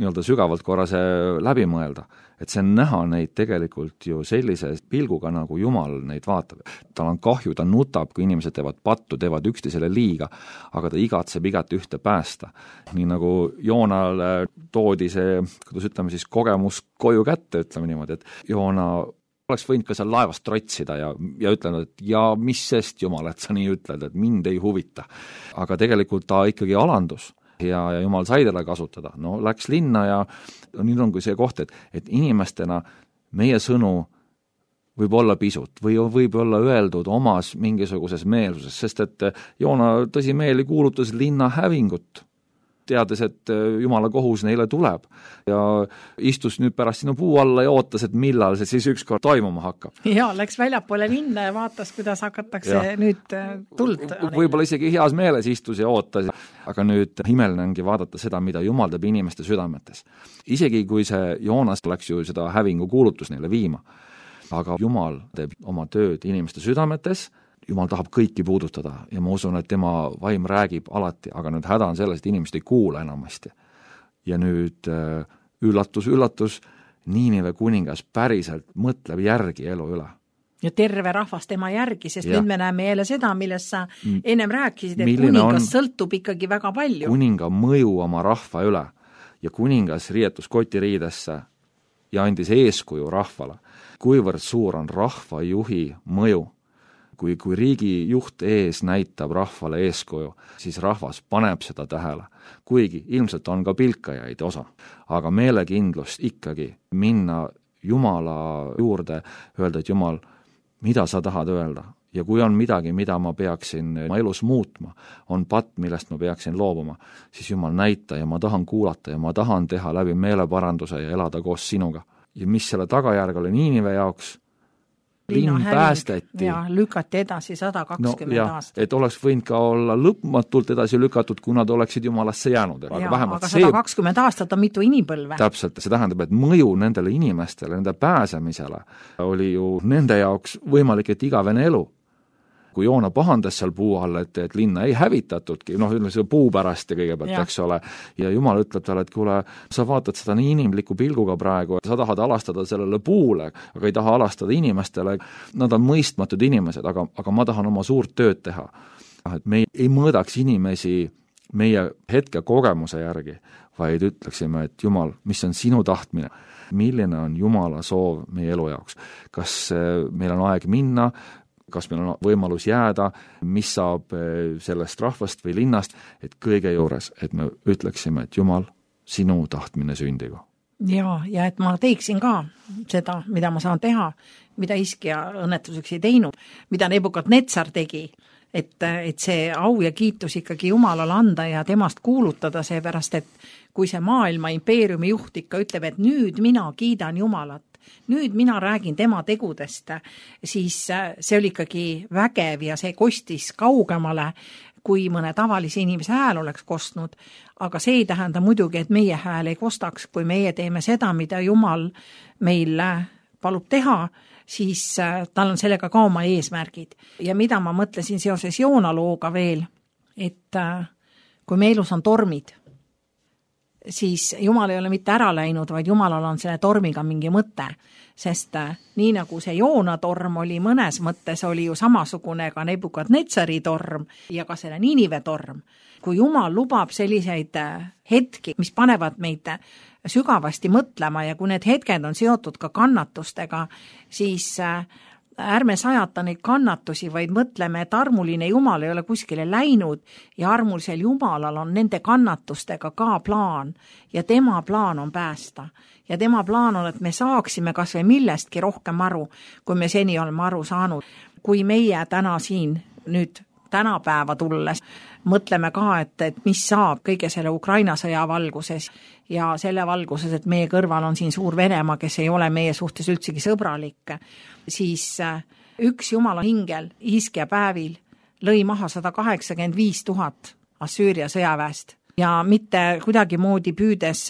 C: nii-öelda sügavalt korra see läbi mõelda. Et see on näha neid tegelikult ju sellise pilguga, nagu Jumal neid vaatab. Tal on kahju, ta nutab, kui inimesed teevad pattu, teevad üksteisele liiga, aga ta igatseb igat ühte päästa. Nii nagu Joonale toodi see, kuidas ütleme siis, kogemus koju kätte, ütleme niimoodi, et Joona oleks võinud ka seal laevast trotsida ja, ja ütlenud, et ja mis sest Jumal, et sa nii ütled, et mind ei huvita. Aga tegelikult ta ikkagi alandus. Ja, ja Jumal sai talle kasutada. No läks linna ja nüüd on kui see koht, et, et inimestena meie sõnu võib olla pisut või võib olla öeldud omas mingisuguses meelsuses, sest et Joona tõsimeeli kuulutas linna hävingut, teades, et Jumala kohus neile tuleb ja istus nüüd pärast sinu puu alla ja ootas, et millal see siis ükskord toimuma hakkab.
B: Ja, läks väljapoole linna ja vaatas, kuidas hakatakse ja. nüüd tuld.
C: Võib-olla isegi heas meeles istus ja ootas, aga nüüd imeline ongi vaadata seda, mida Jumal teeb inimeste südametes. Isegi kui see Joonas läks ju seda hävingu kuulutus neile viima, aga Jumal teeb oma tööd inimeste südametes, Jumal tahab kõiki puudutada ja ma usun, et tema vaim räägib alati, aga nüüd häda on selles, et inimesed ei kuula enamasti. Ja nüüd üllatus, üllatus, Niinive kuningas päriselt mõtleb järgi elu üle.
B: Ja terve rahvas tema järgi, sest ja. nüüd me näeme jälle seda, millest sa ennem rääkisid, et
C: Milline
B: kuningas sõltub ikkagi väga palju.
C: Kuninga mõju oma rahva üle ja kuningas riietus kotiriidesse ja andis eeskuju rahvale. Kuivõrd suur on rahva juhi mõju? Kui, kui riigi juht ees näitab rahvale eeskuju, siis rahvas paneb seda tähele. Kuigi ilmselt on ka pilkajaid osa, aga meelekindlust ikkagi minna Jumala juurde, öelda, et Jumal, mida sa tahad öelda? Ja kui on midagi, mida ma peaksin ma elus muutma, on patt, millest ma peaksin loobuma, siis Jumal näita ja ma tahan kuulata ja ma tahan teha läbi meeleparanduse ja elada koos sinuga. Ja mis selle tagajärg oli Niinive jaoks? Linn päästeti.
B: Ja lükati edasi sada kakskümmend
C: no,
B: aastat.
C: Et oleks võinud ka olla lõpmatult edasi lükatud, kuna nad oleksid Jumalasse jäänud.
B: Aga, ja, aga sada kakskümmend see... aastat on mitu inimpõlve.
C: Täpselt, see tähendab, et mõju nendele inimestele, nende pääsemisele oli ju nende jaoks võimalik, et igavene elu. Kui Joona pahandas seal puu all, et, et linna ei hävitatudki, noh, ütleme see puu pärast ja kõigepealt, eks ole, ja Jumal ütleb talle, et kuule, sa vaatad seda nii inimliku pilguga praegu, sa tahad alastada sellele puule, aga ei taha alastada inimestele, nad on mõistmatud inimesed, aga, aga ma tahan oma suurt tööd teha. Et me ei mõõdaks inimesi meie hetke kogemuse järgi, vaid ütleksime, et Jumal, mis on sinu tahtmine? Milline on Jumala soov meie elu jaoks? Kas meil on aeg minna? Kas meil on võimalus jääda, mis saab sellest rahvast või linnast, et kõige juures, et me ütleksime, et Jumal, sinu tahtmine sündigu.
B: Ja, ja et ma teeksin ka seda, mida ma saan teha, mida Hiskja õnnetuseks ei teinud, mida Nebukadnetsar tegi, et, et see au ja kiitus ikkagi Jumalale anda ja temast kuulutada, seepärast, et kui see maailma impeeriumi juht ikka ütleb, et nüüd mina kiidan Jumalat, nüüd mina räägin tema tegudest, siis see oli ikkagi vägev ja see kostis kaugemale, kui mõne tavalise inimese hääl oleks kostnud, aga see ei tähenda muidugi, et meie hääl ei kostaks, kui meie teeme seda, mida Jumal meil palub teha, siis tal on sellega ka oma eesmärgid. Ja mida ma mõtlesin seoses Joona looga veel, et kui me elus on tormid, siis Jumal ei ole mitte ära läinud, vaid Jumalal on selle tormiga mingi mõte. Sest nii nagu see Joona torm oli mõnes mõttes, oli ju samasugune ka Nebukadnetsari torm ja ka selle Niinive torm. Kui Jumal lubab selliseid hetki, mis panevad meid sügavasti mõtlema ja kui need hetked on seotud ka kannatustega, siis ärme sajata neid kannatusi, vaid mõtleme, et armuline Jumal ei ole kuskile läinud ja armulisel Jumalal on nende kannatustega ka plaan ja tema plaan on päästa. Ja tema plaan on, et me saaksime kas või millestki rohkem aru, kui me seni oleme aru saanud. Kui meie täna siin nüüd tänapäeva tulles mõtleme ka, et, et mis saab kõige selle Ukraina sõja valguses ja selle valguses, et meie kõrval on siin suur Venemaa, kes ei ole meie suhtes üldsegi sõbralik, siis üks Jumala hingel Hiskja päevil lõi maha sada kaheksakümmend viis tuhat Assüüria sõjaväest ja mitte kuidagi moodi püüdes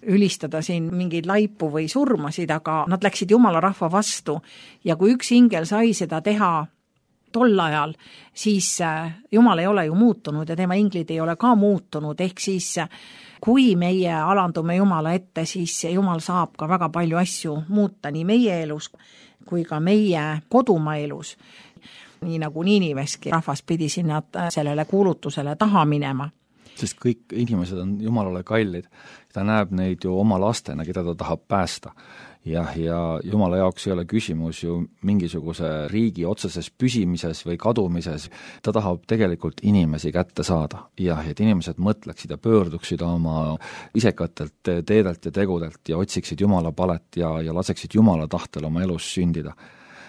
B: ülistada siin mingeid laipu või surmasid, aga nad läksid Jumala rahva vastu ja kui üks hingel sai seda teha tol ajal, siis Jumal ei ole ju muutunud ja tema inglid ei ole ka muutunud, ehk siis kui meie alandume Jumala ette, siis Jumal saab ka väga palju asju muuta nii meie elus kui ka meie kodumaa elus. Nii nagu Niiniveski rahvas pidi sinna sellele kuulutusele taha minema.
C: Sest kõik inimesed on Jumalale kallid. Ta näeb neid ju oma lastena, keda ta tahab päästa. Ja, ja Jumala jaoks ei ole küsimus ju mingisuguse riigi otseses püsimises või kadumises. Ta tahab tegelikult inimesi kätte saada ja et inimesed mõtleksid ja pöörduksid oma isekatelt teedelt ja tegudelt ja otsiksid Jumala palet ja, ja laseksid Jumala tahtel oma elus sündida.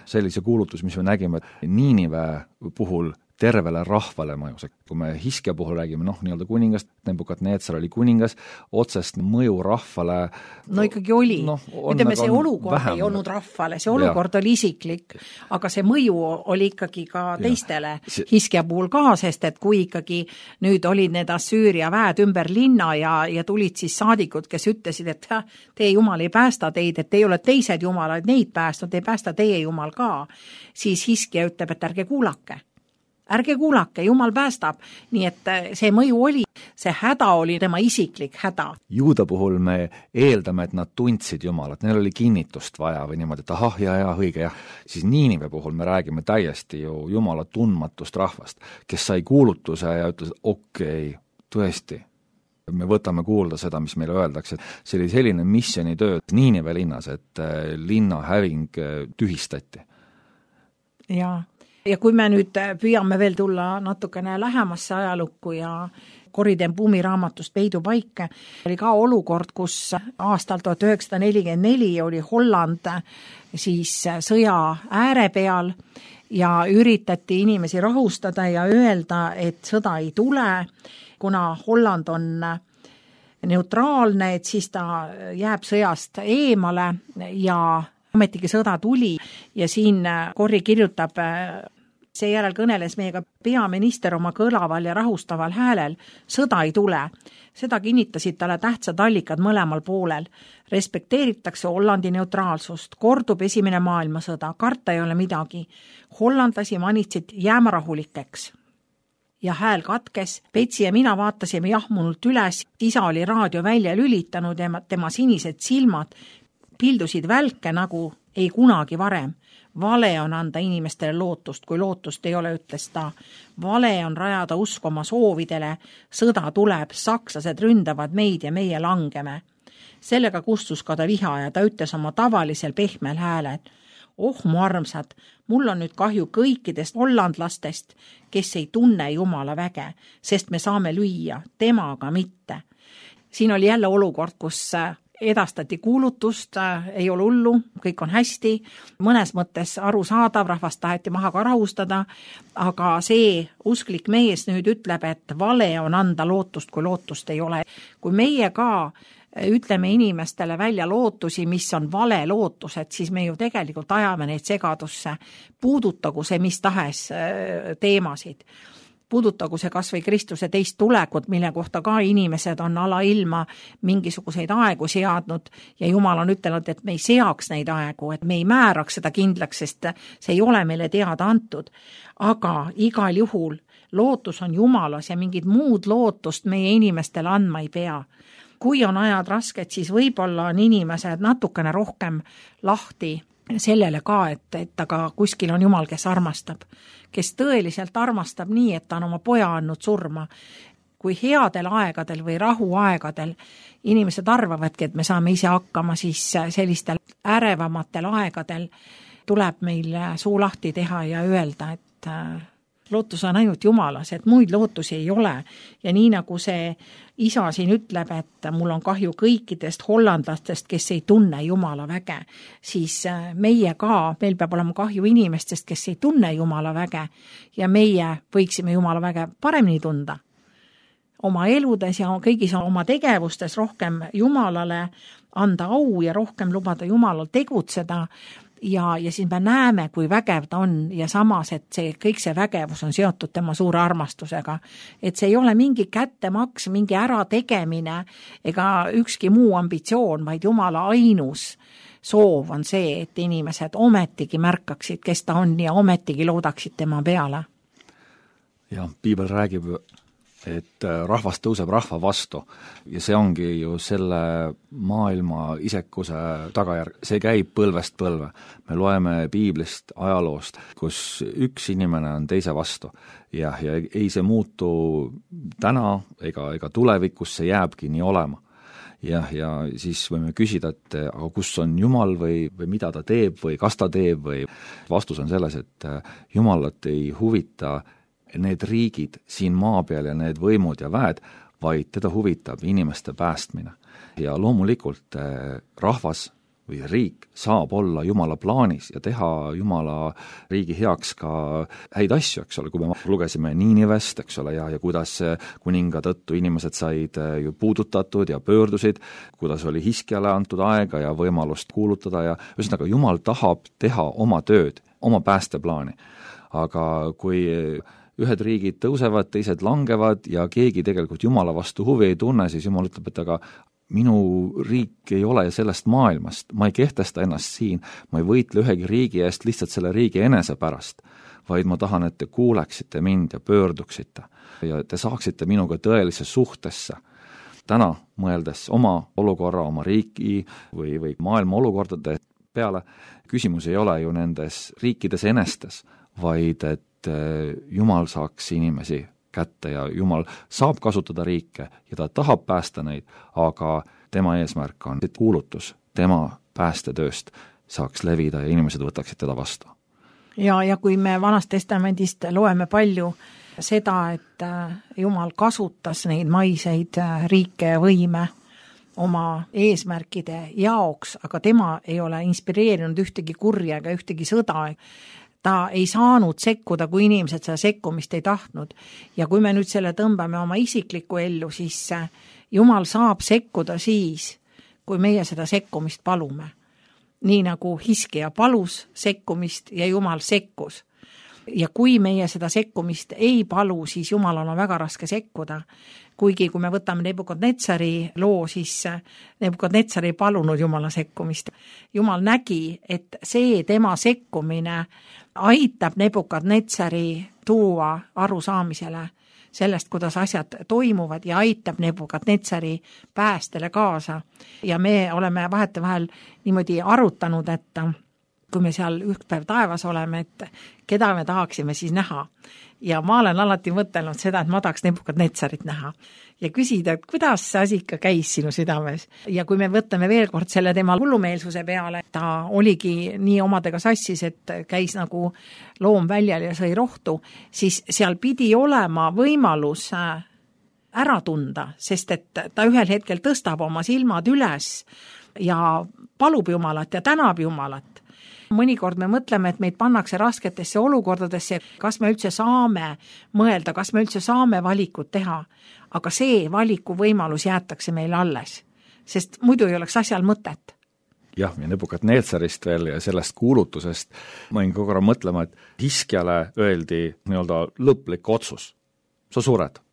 C: Sellise kuulutus, mis me nägime Niinive puhul tervele rahvale mõjus. Kui me Hiskja puhul räägime, noh, nii-öelda kuningast, Nebukadnetsar oli kuningas, otsest mõju rahvale.
B: No ikkagi oli. No, ütleme, see olukord
C: vähem. Ei
B: olnud rahvale, see olukord ja. Oli isiklik, aga see mõju oli ikkagi ka teistele see... Hiskja puhul ka, sest et kui ikkagi nüüd olid need Assüüria väed ümber linna ja, ja tulid siis saadikud, kes ütlesid, et teie Jumal ei päästa teid, et teie olete teised Jumalad, neid päästnud, ei päästa teie Jumal ka, siis Hiskja ütleb, et ärge kuulake. Ärge kuulake, Jumal päästab. Nii et see mõju oli, see häda oli tema isiklik häda.
C: Juuda puhul me eeldame, et nad tundsid Jumalat, neil oli kinnitust vaja või niimoodi, et ahah, ja, ja, õige, ja. Siis Niinive puhul me räägime täiesti ju Jumala tundmatust rahvast, kes sai kuulutuse ja ütles, okei, okay, tõesti, me võtame kuulda seda, mis meile öeldakse. See oli selline missionitöö Niinive linnas, et linna häving tühistati.
B: Jaa. Ja kui me nüüd püüame veel tulla natukene lähemasse ajalukku ja Corrie ten Boom'i raamatust Peidupaik, oli ka olukord, kus aastal tuhat üheksasada nelikümmend neli oli Holland siis sõja ääre peal ja üritati inimesi rahustada ja öelda, et sõda ei tule, kuna Holland on neutraalne, et siis ta jääb sõjast eemale ja ametigi sõda tuli ja siin Corrie kirjutab, seejärel kõneles meiega peaminister oma kõlaval ja rahustaval häälel, sõda ei tule. Seda kinnitasid talle tähtsad allikad mõlemal poolel. Respekteeritakse Hollandi neutraalsust, kordub esimene maailmasõda, karta ei ole midagi. Hollandlasi manitsid jääma rahulikeks. Ja hääl katkes, Petsi ja mina vaatasime jahmunult üles, isa oli raadio välja lülitanud ja tema sinised silmad pildusid välke nagu ei kunagi varem. Vale on anda inimestele lootust, kui lootust ei ole, ütles ta. Vale on rajada usk oma soovidele, sõda tuleb, sakslased ründavad meid ja meie langeme. Sellega kustus ka ta viha ja ta ütles oma tavalisel pehmel häälel. Oh mu armsad, mul on nüüd kahju kõikidest hollandlastest, kes ei tunne Jumala väge, sest me saame lüüa, temaga mitte. Siin oli jälle olukord, kus edastati kuulutust, ei ole hullu, kõik on hästi, mõnes mõttes arusaadav, rahvast taheti maha ka rahustada, aga see usklik mees nüüd ütleb, et vale on anda lootust, kui lootust ei ole. Kui meie ka ütleme inimestele välja lootusi, mis on vale lootused, siis me ju tegelikult ajame neid segadusse, puudutagu see mis tahes teemasid. Puudutagu see kas või Kristuse teist tulekut, mille kohta ka inimesed on alailma mingisuguseid aegu seadnud ja Jumal on ütelnud, et me ei seaks neid aegu, et me ei määraks seda kindlaks, sest see ei ole meile teada antud. Aga igal juhul lootus on Jumalas ja mingid muud lootust meie inimestele andma ei pea. kui on ajad rasked, siis võib-olla on inimesed natukene rohkem lahti sellele ka, et, et aga kuskil on Jumal, kes armastab, kes tõeliselt armastab nii, et ta on oma poja andnud surma. Kui headel aegadel või rahuaegadel inimesed arvavadki, et me saame ise hakkama, siis sellistel ärevamatel aegadel tuleb meil suu lahti teha ja öelda, et lootus on ainult Jumalas, et muid lootusi ei ole. Ja nii nagu see isa siin ütleb, et mul on kahju kõikidest hollandlastest, kes ei tunne Jumala väge, siis meie ka, meil peab olema kahju inimestest, kes ei tunne Jumala väge ja meie võiksime Jumala väge paremini tunda. Oma eludes ja kõigis oma tegevustes rohkem Jumalale anda au ja rohkem lubada Jumalal tegutseda ja, ja siis me näeme, kui vägev ta on ja samas, et see, kõik see vägevus on seotud tema suure armastusega. Et see ei ole mingi kättemaks, mingi ärategemine ega ükski muu ambitsioon, vaid Jumala ainus soov on see, et inimesed ometigi märkaksid, kes ta on ja ometigi loodaksid tema peale.
C: Ja piibel räägib, et rahvas tõuseb rahva vastu ja see ongi ju selle maailma isekuse tagajärg. See käib põlvest põlve. Me loeme piiblist ajaloost, kus üks inimene on teise vastu ja, ja ei see muutu täna ega, ega tulevikus, see jääbki nii olema. Ja, ja siis võime küsida, et aga kus on Jumal või, või mida ta teeb või kas ta teeb või vastus on selles, et Jumalat ei huvita need riigid siin maa peal ja need võimud ja väed, vaid teda huvitab inimeste päästmine. Ja loomulikult rahvas või riik saab olla Jumala plaanis ja teha Jumala riigi heaks ka häid asju, eks ole, kui me lugesime Niinivest, eks ole, ja, ja kuidas kuninga tõttu inimesed said ju puudutatud ja pöördusid, kuidas oli Hiskiale antud aega ja võimalust kuulutada ja ühesõnaga Jumal tahab teha oma tööd, oma päästeplaani. Aga kui ühed riigid tõusevad, teised langevad ja keegi tegelikult Jumala vastu huvi ei tunne, siis Jumal ütleb, et aga minu riik ei ole sellest maailmast, ma ei kehtesta ennast siin, ma ei võitle ühegi riigi eest lihtsalt selle riigi enese pärast, vaid ma tahan, et te kuuleksite mind ja pöörduksite ja te saaksite minuga tõelisse suhtesse. Täna mõeldes oma olukorra, oma riiki või, või maailma olukordade peale, küsimus ei ole ju nendes riikides enestes, vaid et Jumal saaks inimesi kätte ja Jumal saab kasutada riike ja ta tahab päästa neid, aga tema eesmärk on, et kuulutus tema päästetööst saaks levida ja inimesed võtaksid teda vastu.
B: Ja, ja kui me Vanast Testamendist loeme palju seda, et Jumal kasutas neid maiseid riike ja võime oma eesmärkide jaoks, aga tema ei ole inspireerinud ühtegi kurja ega ühtegi sõda. Ta ei saanud sekkuda, kui inimesed seda sekkumist ei tahtnud. Ja kui me nüüd selle tõmbame oma isiklikku ellu, siis Jumal saab sekkuda siis, kui meie seda sekkumist palume. Nii nagu Hiskija palus sekkumist ja Jumal sekkus. Ja kui meie seda sekkumist ei palu, siis Jumalal on väga raske sekkuda. Kuigi kui me võtame Nebukadnetsari loo, siis Nebukadnetsar ei palunud Jumala sekkumist. Jumal nägi, et see tema sekkumine aitab Nebukadnetsari tuua arusaamisele sellest, kuidas asjad toimuvad ja aitab Nebukadnetsari päästele kaasa. Ja me oleme vahetevahel niimoodi arutanud, et kui me seal üks päev taevas oleme, et keda me tahaksime siis näha. Ja ma olen alati mõtelnud seda, et ma tahaks Nebukadnetsarit näha ja küsida, et kuidas see asi ikka käis sinu südames. Ja kui me võtame veel kord selle tema hullumeelsuse peale, ta oligi nii omadega sassis, et käis nagu loom väljal ja sõi rohtu, siis seal pidi olema võimalus ära tunda, sest et ta ühel hetkel tõstab oma silmad üles ja palub Jumalat ja tänab Jumalat. Mõnikord me mõtleme, et meid pannakse rasketesse olukordadesse, kas me üldse saame mõelda, kas me üldse saame valikut teha, aga see valiku võimalus jäetakse meile alles, sest muidu ei oleks asjal mõtet.
C: Jah, ja Nebukadnetsarist veel ja sellest kuulutusest ma võin kogu aeg mõtlema, et Hiskjale öeldi nii-öelda lõplik otsus, sa sured.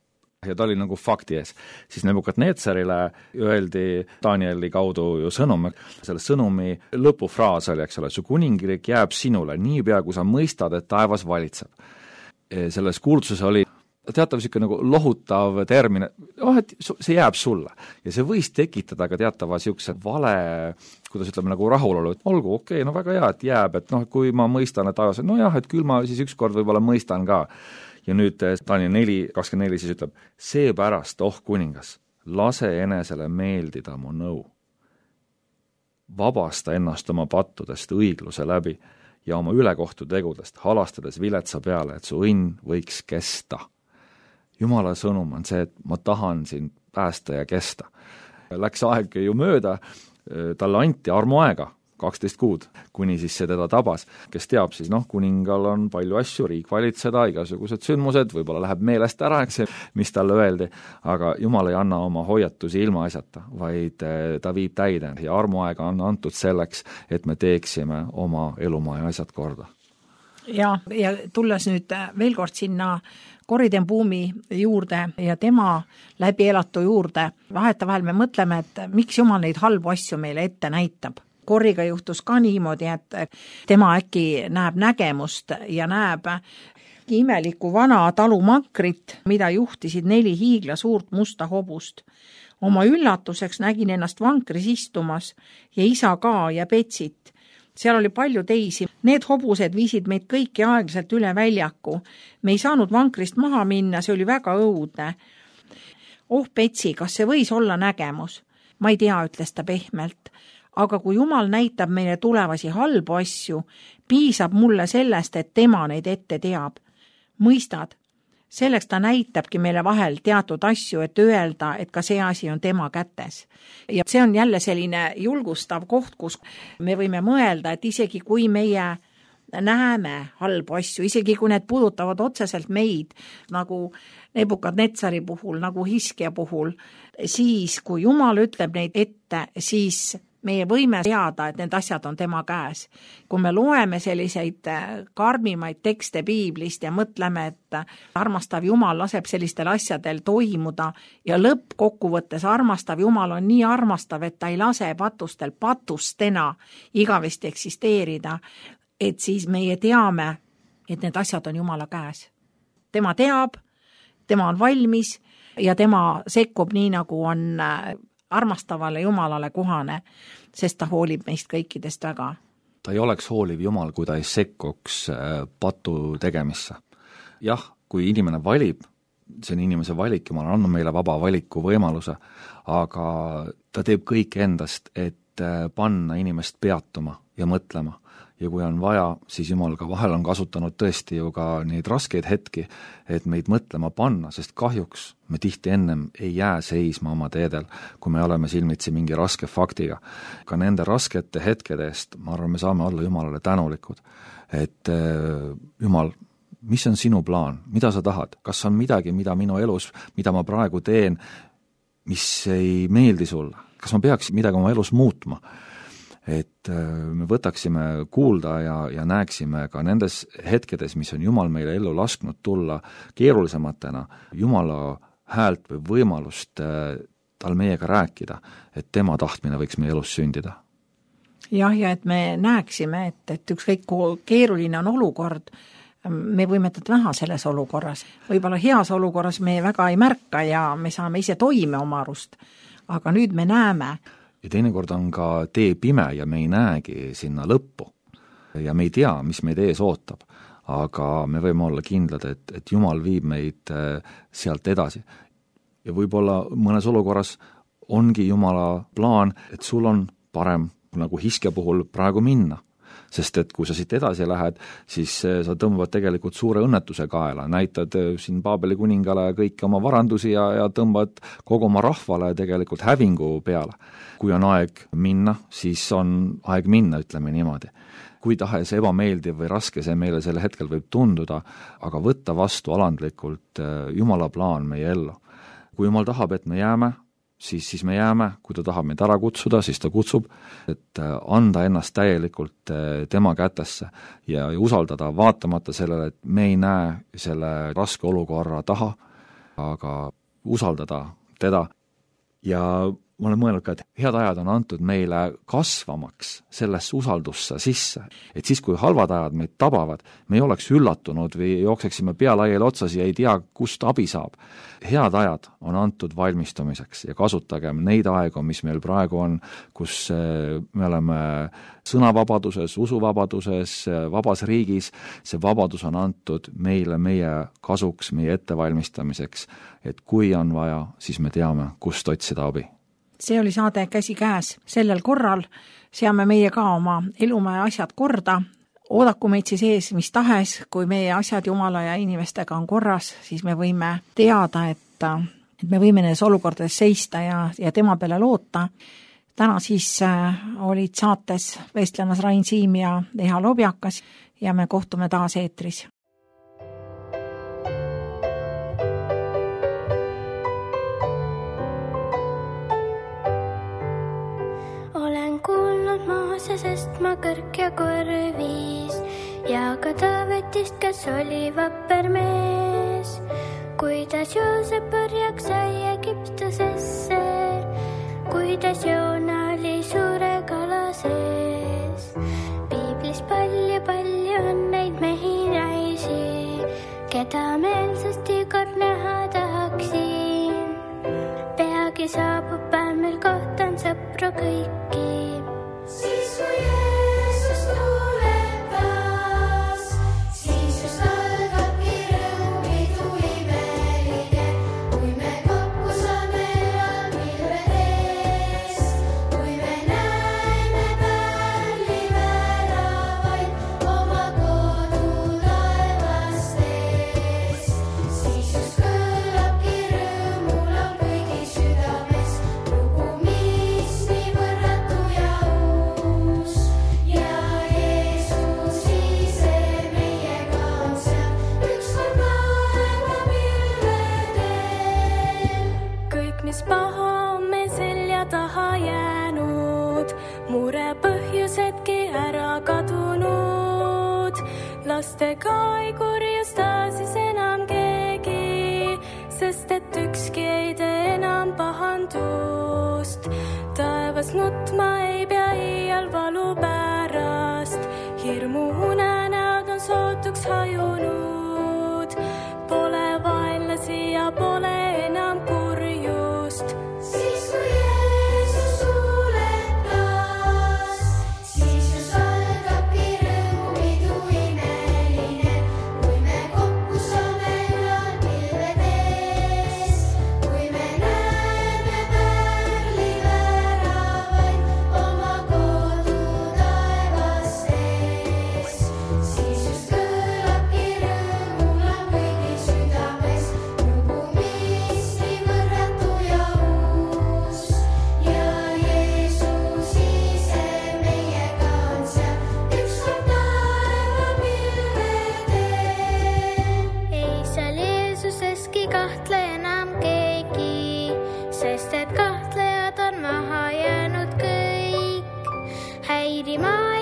C: Ja ta oli nagu fakti ees. Siis Nebukadnetsarile öeldi Danieli kaudu ju sõnum, selle sõnumi lõpufraas oli, eks ole, su kuningriik jääb sinule niipea, kui sa mõistad, et taevas valitseb. Selles kuulutuses oli teatav niisugune nagu lohutav termin, oh, et see jääb sulle. Ja see võis tekitada ka teatava niisuguse vale, kuidas ütleme, nagu rahulolu, et olgu, okei okay,, no väga hea, et jääb, et noh, kui ma mõistan, et ajas, no jah, et küll ma siis ükskord võib-olla mõistan ka. Ja nüüd Daniel neli kakskümmend neli siis ütleb, seepärast, oh kuningas, lase enesele meeldida mu nõu. Vabasta ennast oma pattudest õigluse läbi ja oma ülekohtu tegudest, halastades viletsa peale, et su õnn võiks kesta. Jumala sõnum on see, et ma tahan sind päästa ja kesta. Läks aeg ju mööda, talle anti armuaega, kaksteist kuud, kuni siis see teda tabas. Kes teab, siis noh, kuningal on palju asju, riik valitseda, igasugused sündmused, võib-olla läheb meelest ära, eks see, mis talle öeldi, aga Jumal ei anna oma hoiatusi ilma asjata, vaid ta viib täide ja armuaega on antud selleks, et me teeksime oma elumaa ja asjad korda.
B: Ja, ja tulles nüüd veel kord sinna Corrie ten Boom'i juurde ja tema läbi elatu juurde, vahetavahel me mõtleme, et miks Jumal neid halbu asju meile ette näitab. Corriga juhtus ka niimoodi, et tema äkki näeb nägemust ja näeb imelikku vana talumankrit, mida juhtisid neli hiigla suurt musta hobust. Oma üllatuseks nägin ennast vankris istumas ja isa ka ja Petsit. Seal oli palju teisi. Need hobused viisid meid kõiki aeglaselt üle väljaku. Me ei saanud vankrist maha minna, see oli väga õudne. Oh Petsi, kas see võis olla nägemus? Ma ei tea, ütles ta pehmelt. Aga kui Jumal näitab meile tulevasi halbu asju, piisab mulle sellest, et tema neid ette teab. Mõistad? Selleks ta näitabki meile vahel teatud asju, et öelda, et ka see asi on tema kätes. Ja see on jälle selline julgustav koht, kus me võime mõelda, et isegi kui meie näeme halbu asju, isegi kui need puudutavad otseselt meid, nagu Nebukadnetsari puhul, nagu Hiskja puhul, siis kui Jumal ütleb neid ette, siis meie võime teada, et need asjad on tema käes. Kui me loeme selliseid karmimaid tekste piiblist ja mõtleme, et armastav Jumal laseb sellistel asjadel toimuda ja lõppkokkuvõttes armastav Jumal on nii armastav, et ta ei lase patustel patustena igavesti eksisteerida, et siis meie teame, et need asjad on Jumala käes. Tema teab, tema on valmis ja tema sekkub nii, nagu on armastavale Jumalale kohane, sest ta hoolib meist kõikidest väga.
C: Ta ei oleks hooliv Jumal, kui ta ei sekkuks patu tegemisse. Jah, kui inimene valib, see on inimese valik, Jumal on andnud meile vaba valiku võimaluse, aga ta teeb kõik endast, et panna inimest peatuma ja mõtlema. Ja kui on vaja, siis Jumal ka vahel on kasutanud tõesti ju ka neid raskeid hetki, et meid mõtlema panna, sest kahjuks me tihti ennem ei jää seisma oma teedel, kui me oleme silmitsi mingi raske faktiga. Ka nende raskete hetkede eest, ma arvan, me saame olla Jumalale tänulikud, et Jumal, mis on sinu plaan, mida sa tahad, kas on midagi, mida minu elus, mida ma praegu teen, mis ei meeldi sulle, kas ma peaks midagi oma elus muutma, et me võtaksime kuulda ja, ja näeksime ka nendes hetkedes, mis on Jumal meile ellu lasknud tulla keerulisematena, Jumala häält või võimalust tal meiega rääkida, et tema tahtmine võiks meie elus sündida.
B: Jah, ja et me näeksime, et, et ükskõik kui keeruline on olukord, me võime teda näha selles olukorras. Võib-olla heas olukorras me väga ei märka ja me saame ise toime oma arust, aga nüüd me näeme.
C: Ja teinekord on ka tee pime ja me ei näegi sinna lõppu ja me ei tea, mis meid ees ootab, aga me võime olla kindlad, et, et Jumal viib meid sealt edasi. Ja võib-olla mõnes olukorras ongi Jumala plaan, et sul on parem nagu Hiskja puhul praegu minna. Sest et kui sa siit edasi lähed, siis sa tõmbavad tegelikult suure õnnetuse kaela, näitad siin Paabeli kuningale kõiki oma varandusi ja, ja tõmbad kogu oma rahvale tegelikult hävingu peale. Kui on aeg minna, siis on aeg minna, ütleme niimoodi. Kui tahes ebameeldiv või raske see meile selle hetkel võib tunduda, aga võtta vastu alandlikult Jumala plaan meie ellu. Kui Jumal tahab, et me jääme, siis, siis me jääme, kui ta tahab meid ära kutsuda, siis ta kutsub, et anda ennast täielikult tema kätesse ja usaldada vaatamata sellele, et me ei näe selle raske olukorra taha, aga usaldada teda. Ja ma olen mõelnud ka, et head ajad on antud meile kasvamaks sellesse usaldusse sisse, et siis, kui halvad ajad meid tabavad, me ei oleks üllatunud või jookseksime pea laiali otsas ja ei tea, kust abi saab. Head ajad on antud valmistumiseks ja kasutagem neid aegu, mis meil praegu on, kus me oleme sõnavabaduses, usuvabaduses, vabas riigis, see vabadus on antud meile, meie kasuks, meie ettevalmistamiseks, et kui on vaja, siis me teame, kust otsida abi.
B: See oli saade Käsikäes. Sellel korral seame meie ka oma elumäe asjad korda. Oodaku meid siis ees mis tahes, kui meie asjad Jumala ja inimestega on korras, siis me võime teada, et, et me võime nendes olukordades seista ja, ja tema peale loota. Täna siis äh, olid saates vestlemas Rain Siim ja Eha Lobjakas ja me kohtume taas eetris.
D: Sest ma kõrk ja korvis ja ka Taavetist, kes oli vapper mees, kuidas Joosep orjaks sai Egiptusesse, kuidas Joona oli suure kala sees. Piiblis palju-palju on neid mehi naisi, keda meelsasti kord näha tahaksin. Peagi saabub päev, mil kohtan sõpru kõiki. Siis kui Jeesus tuleb taas, siis just algabki rõõmidu imeline, kui me kokku saame pilvedes, kui me näeme pärli väravaid oma kodu taevastes. Siis just kõlabki rõõmulaul kõigi südames, lugu, mis nii võrratu ja paha on me selja taha jäänud, mure põhjusedki ära kadunud. Lastega ei kurjusta siis enam keegi, sest et ükski ei tee enam pahandust. Taevas nutma ei pea iial valu pärast, hirmu unenäod on sootuks hajunud. Pole vaenlasi ja pole enam kurjust. Siis kui Jeesus tuleb taas, siis just algabki rõõmupidu imeline, kui me kokku saame ülal pilvedes, kui me näeme pärli väravaid oma kodu taevastes. Siis just kõlabki rõõmulaul kõigi südames, lugu, mis nii võrratu ja uus. Ja Jeesus ise meiega on seal, ükskord taeva pilvedel. Ei seal Jeesuseski kahtle enam keegi, sest et kahtlejad on maha jäänud kõik. Häirima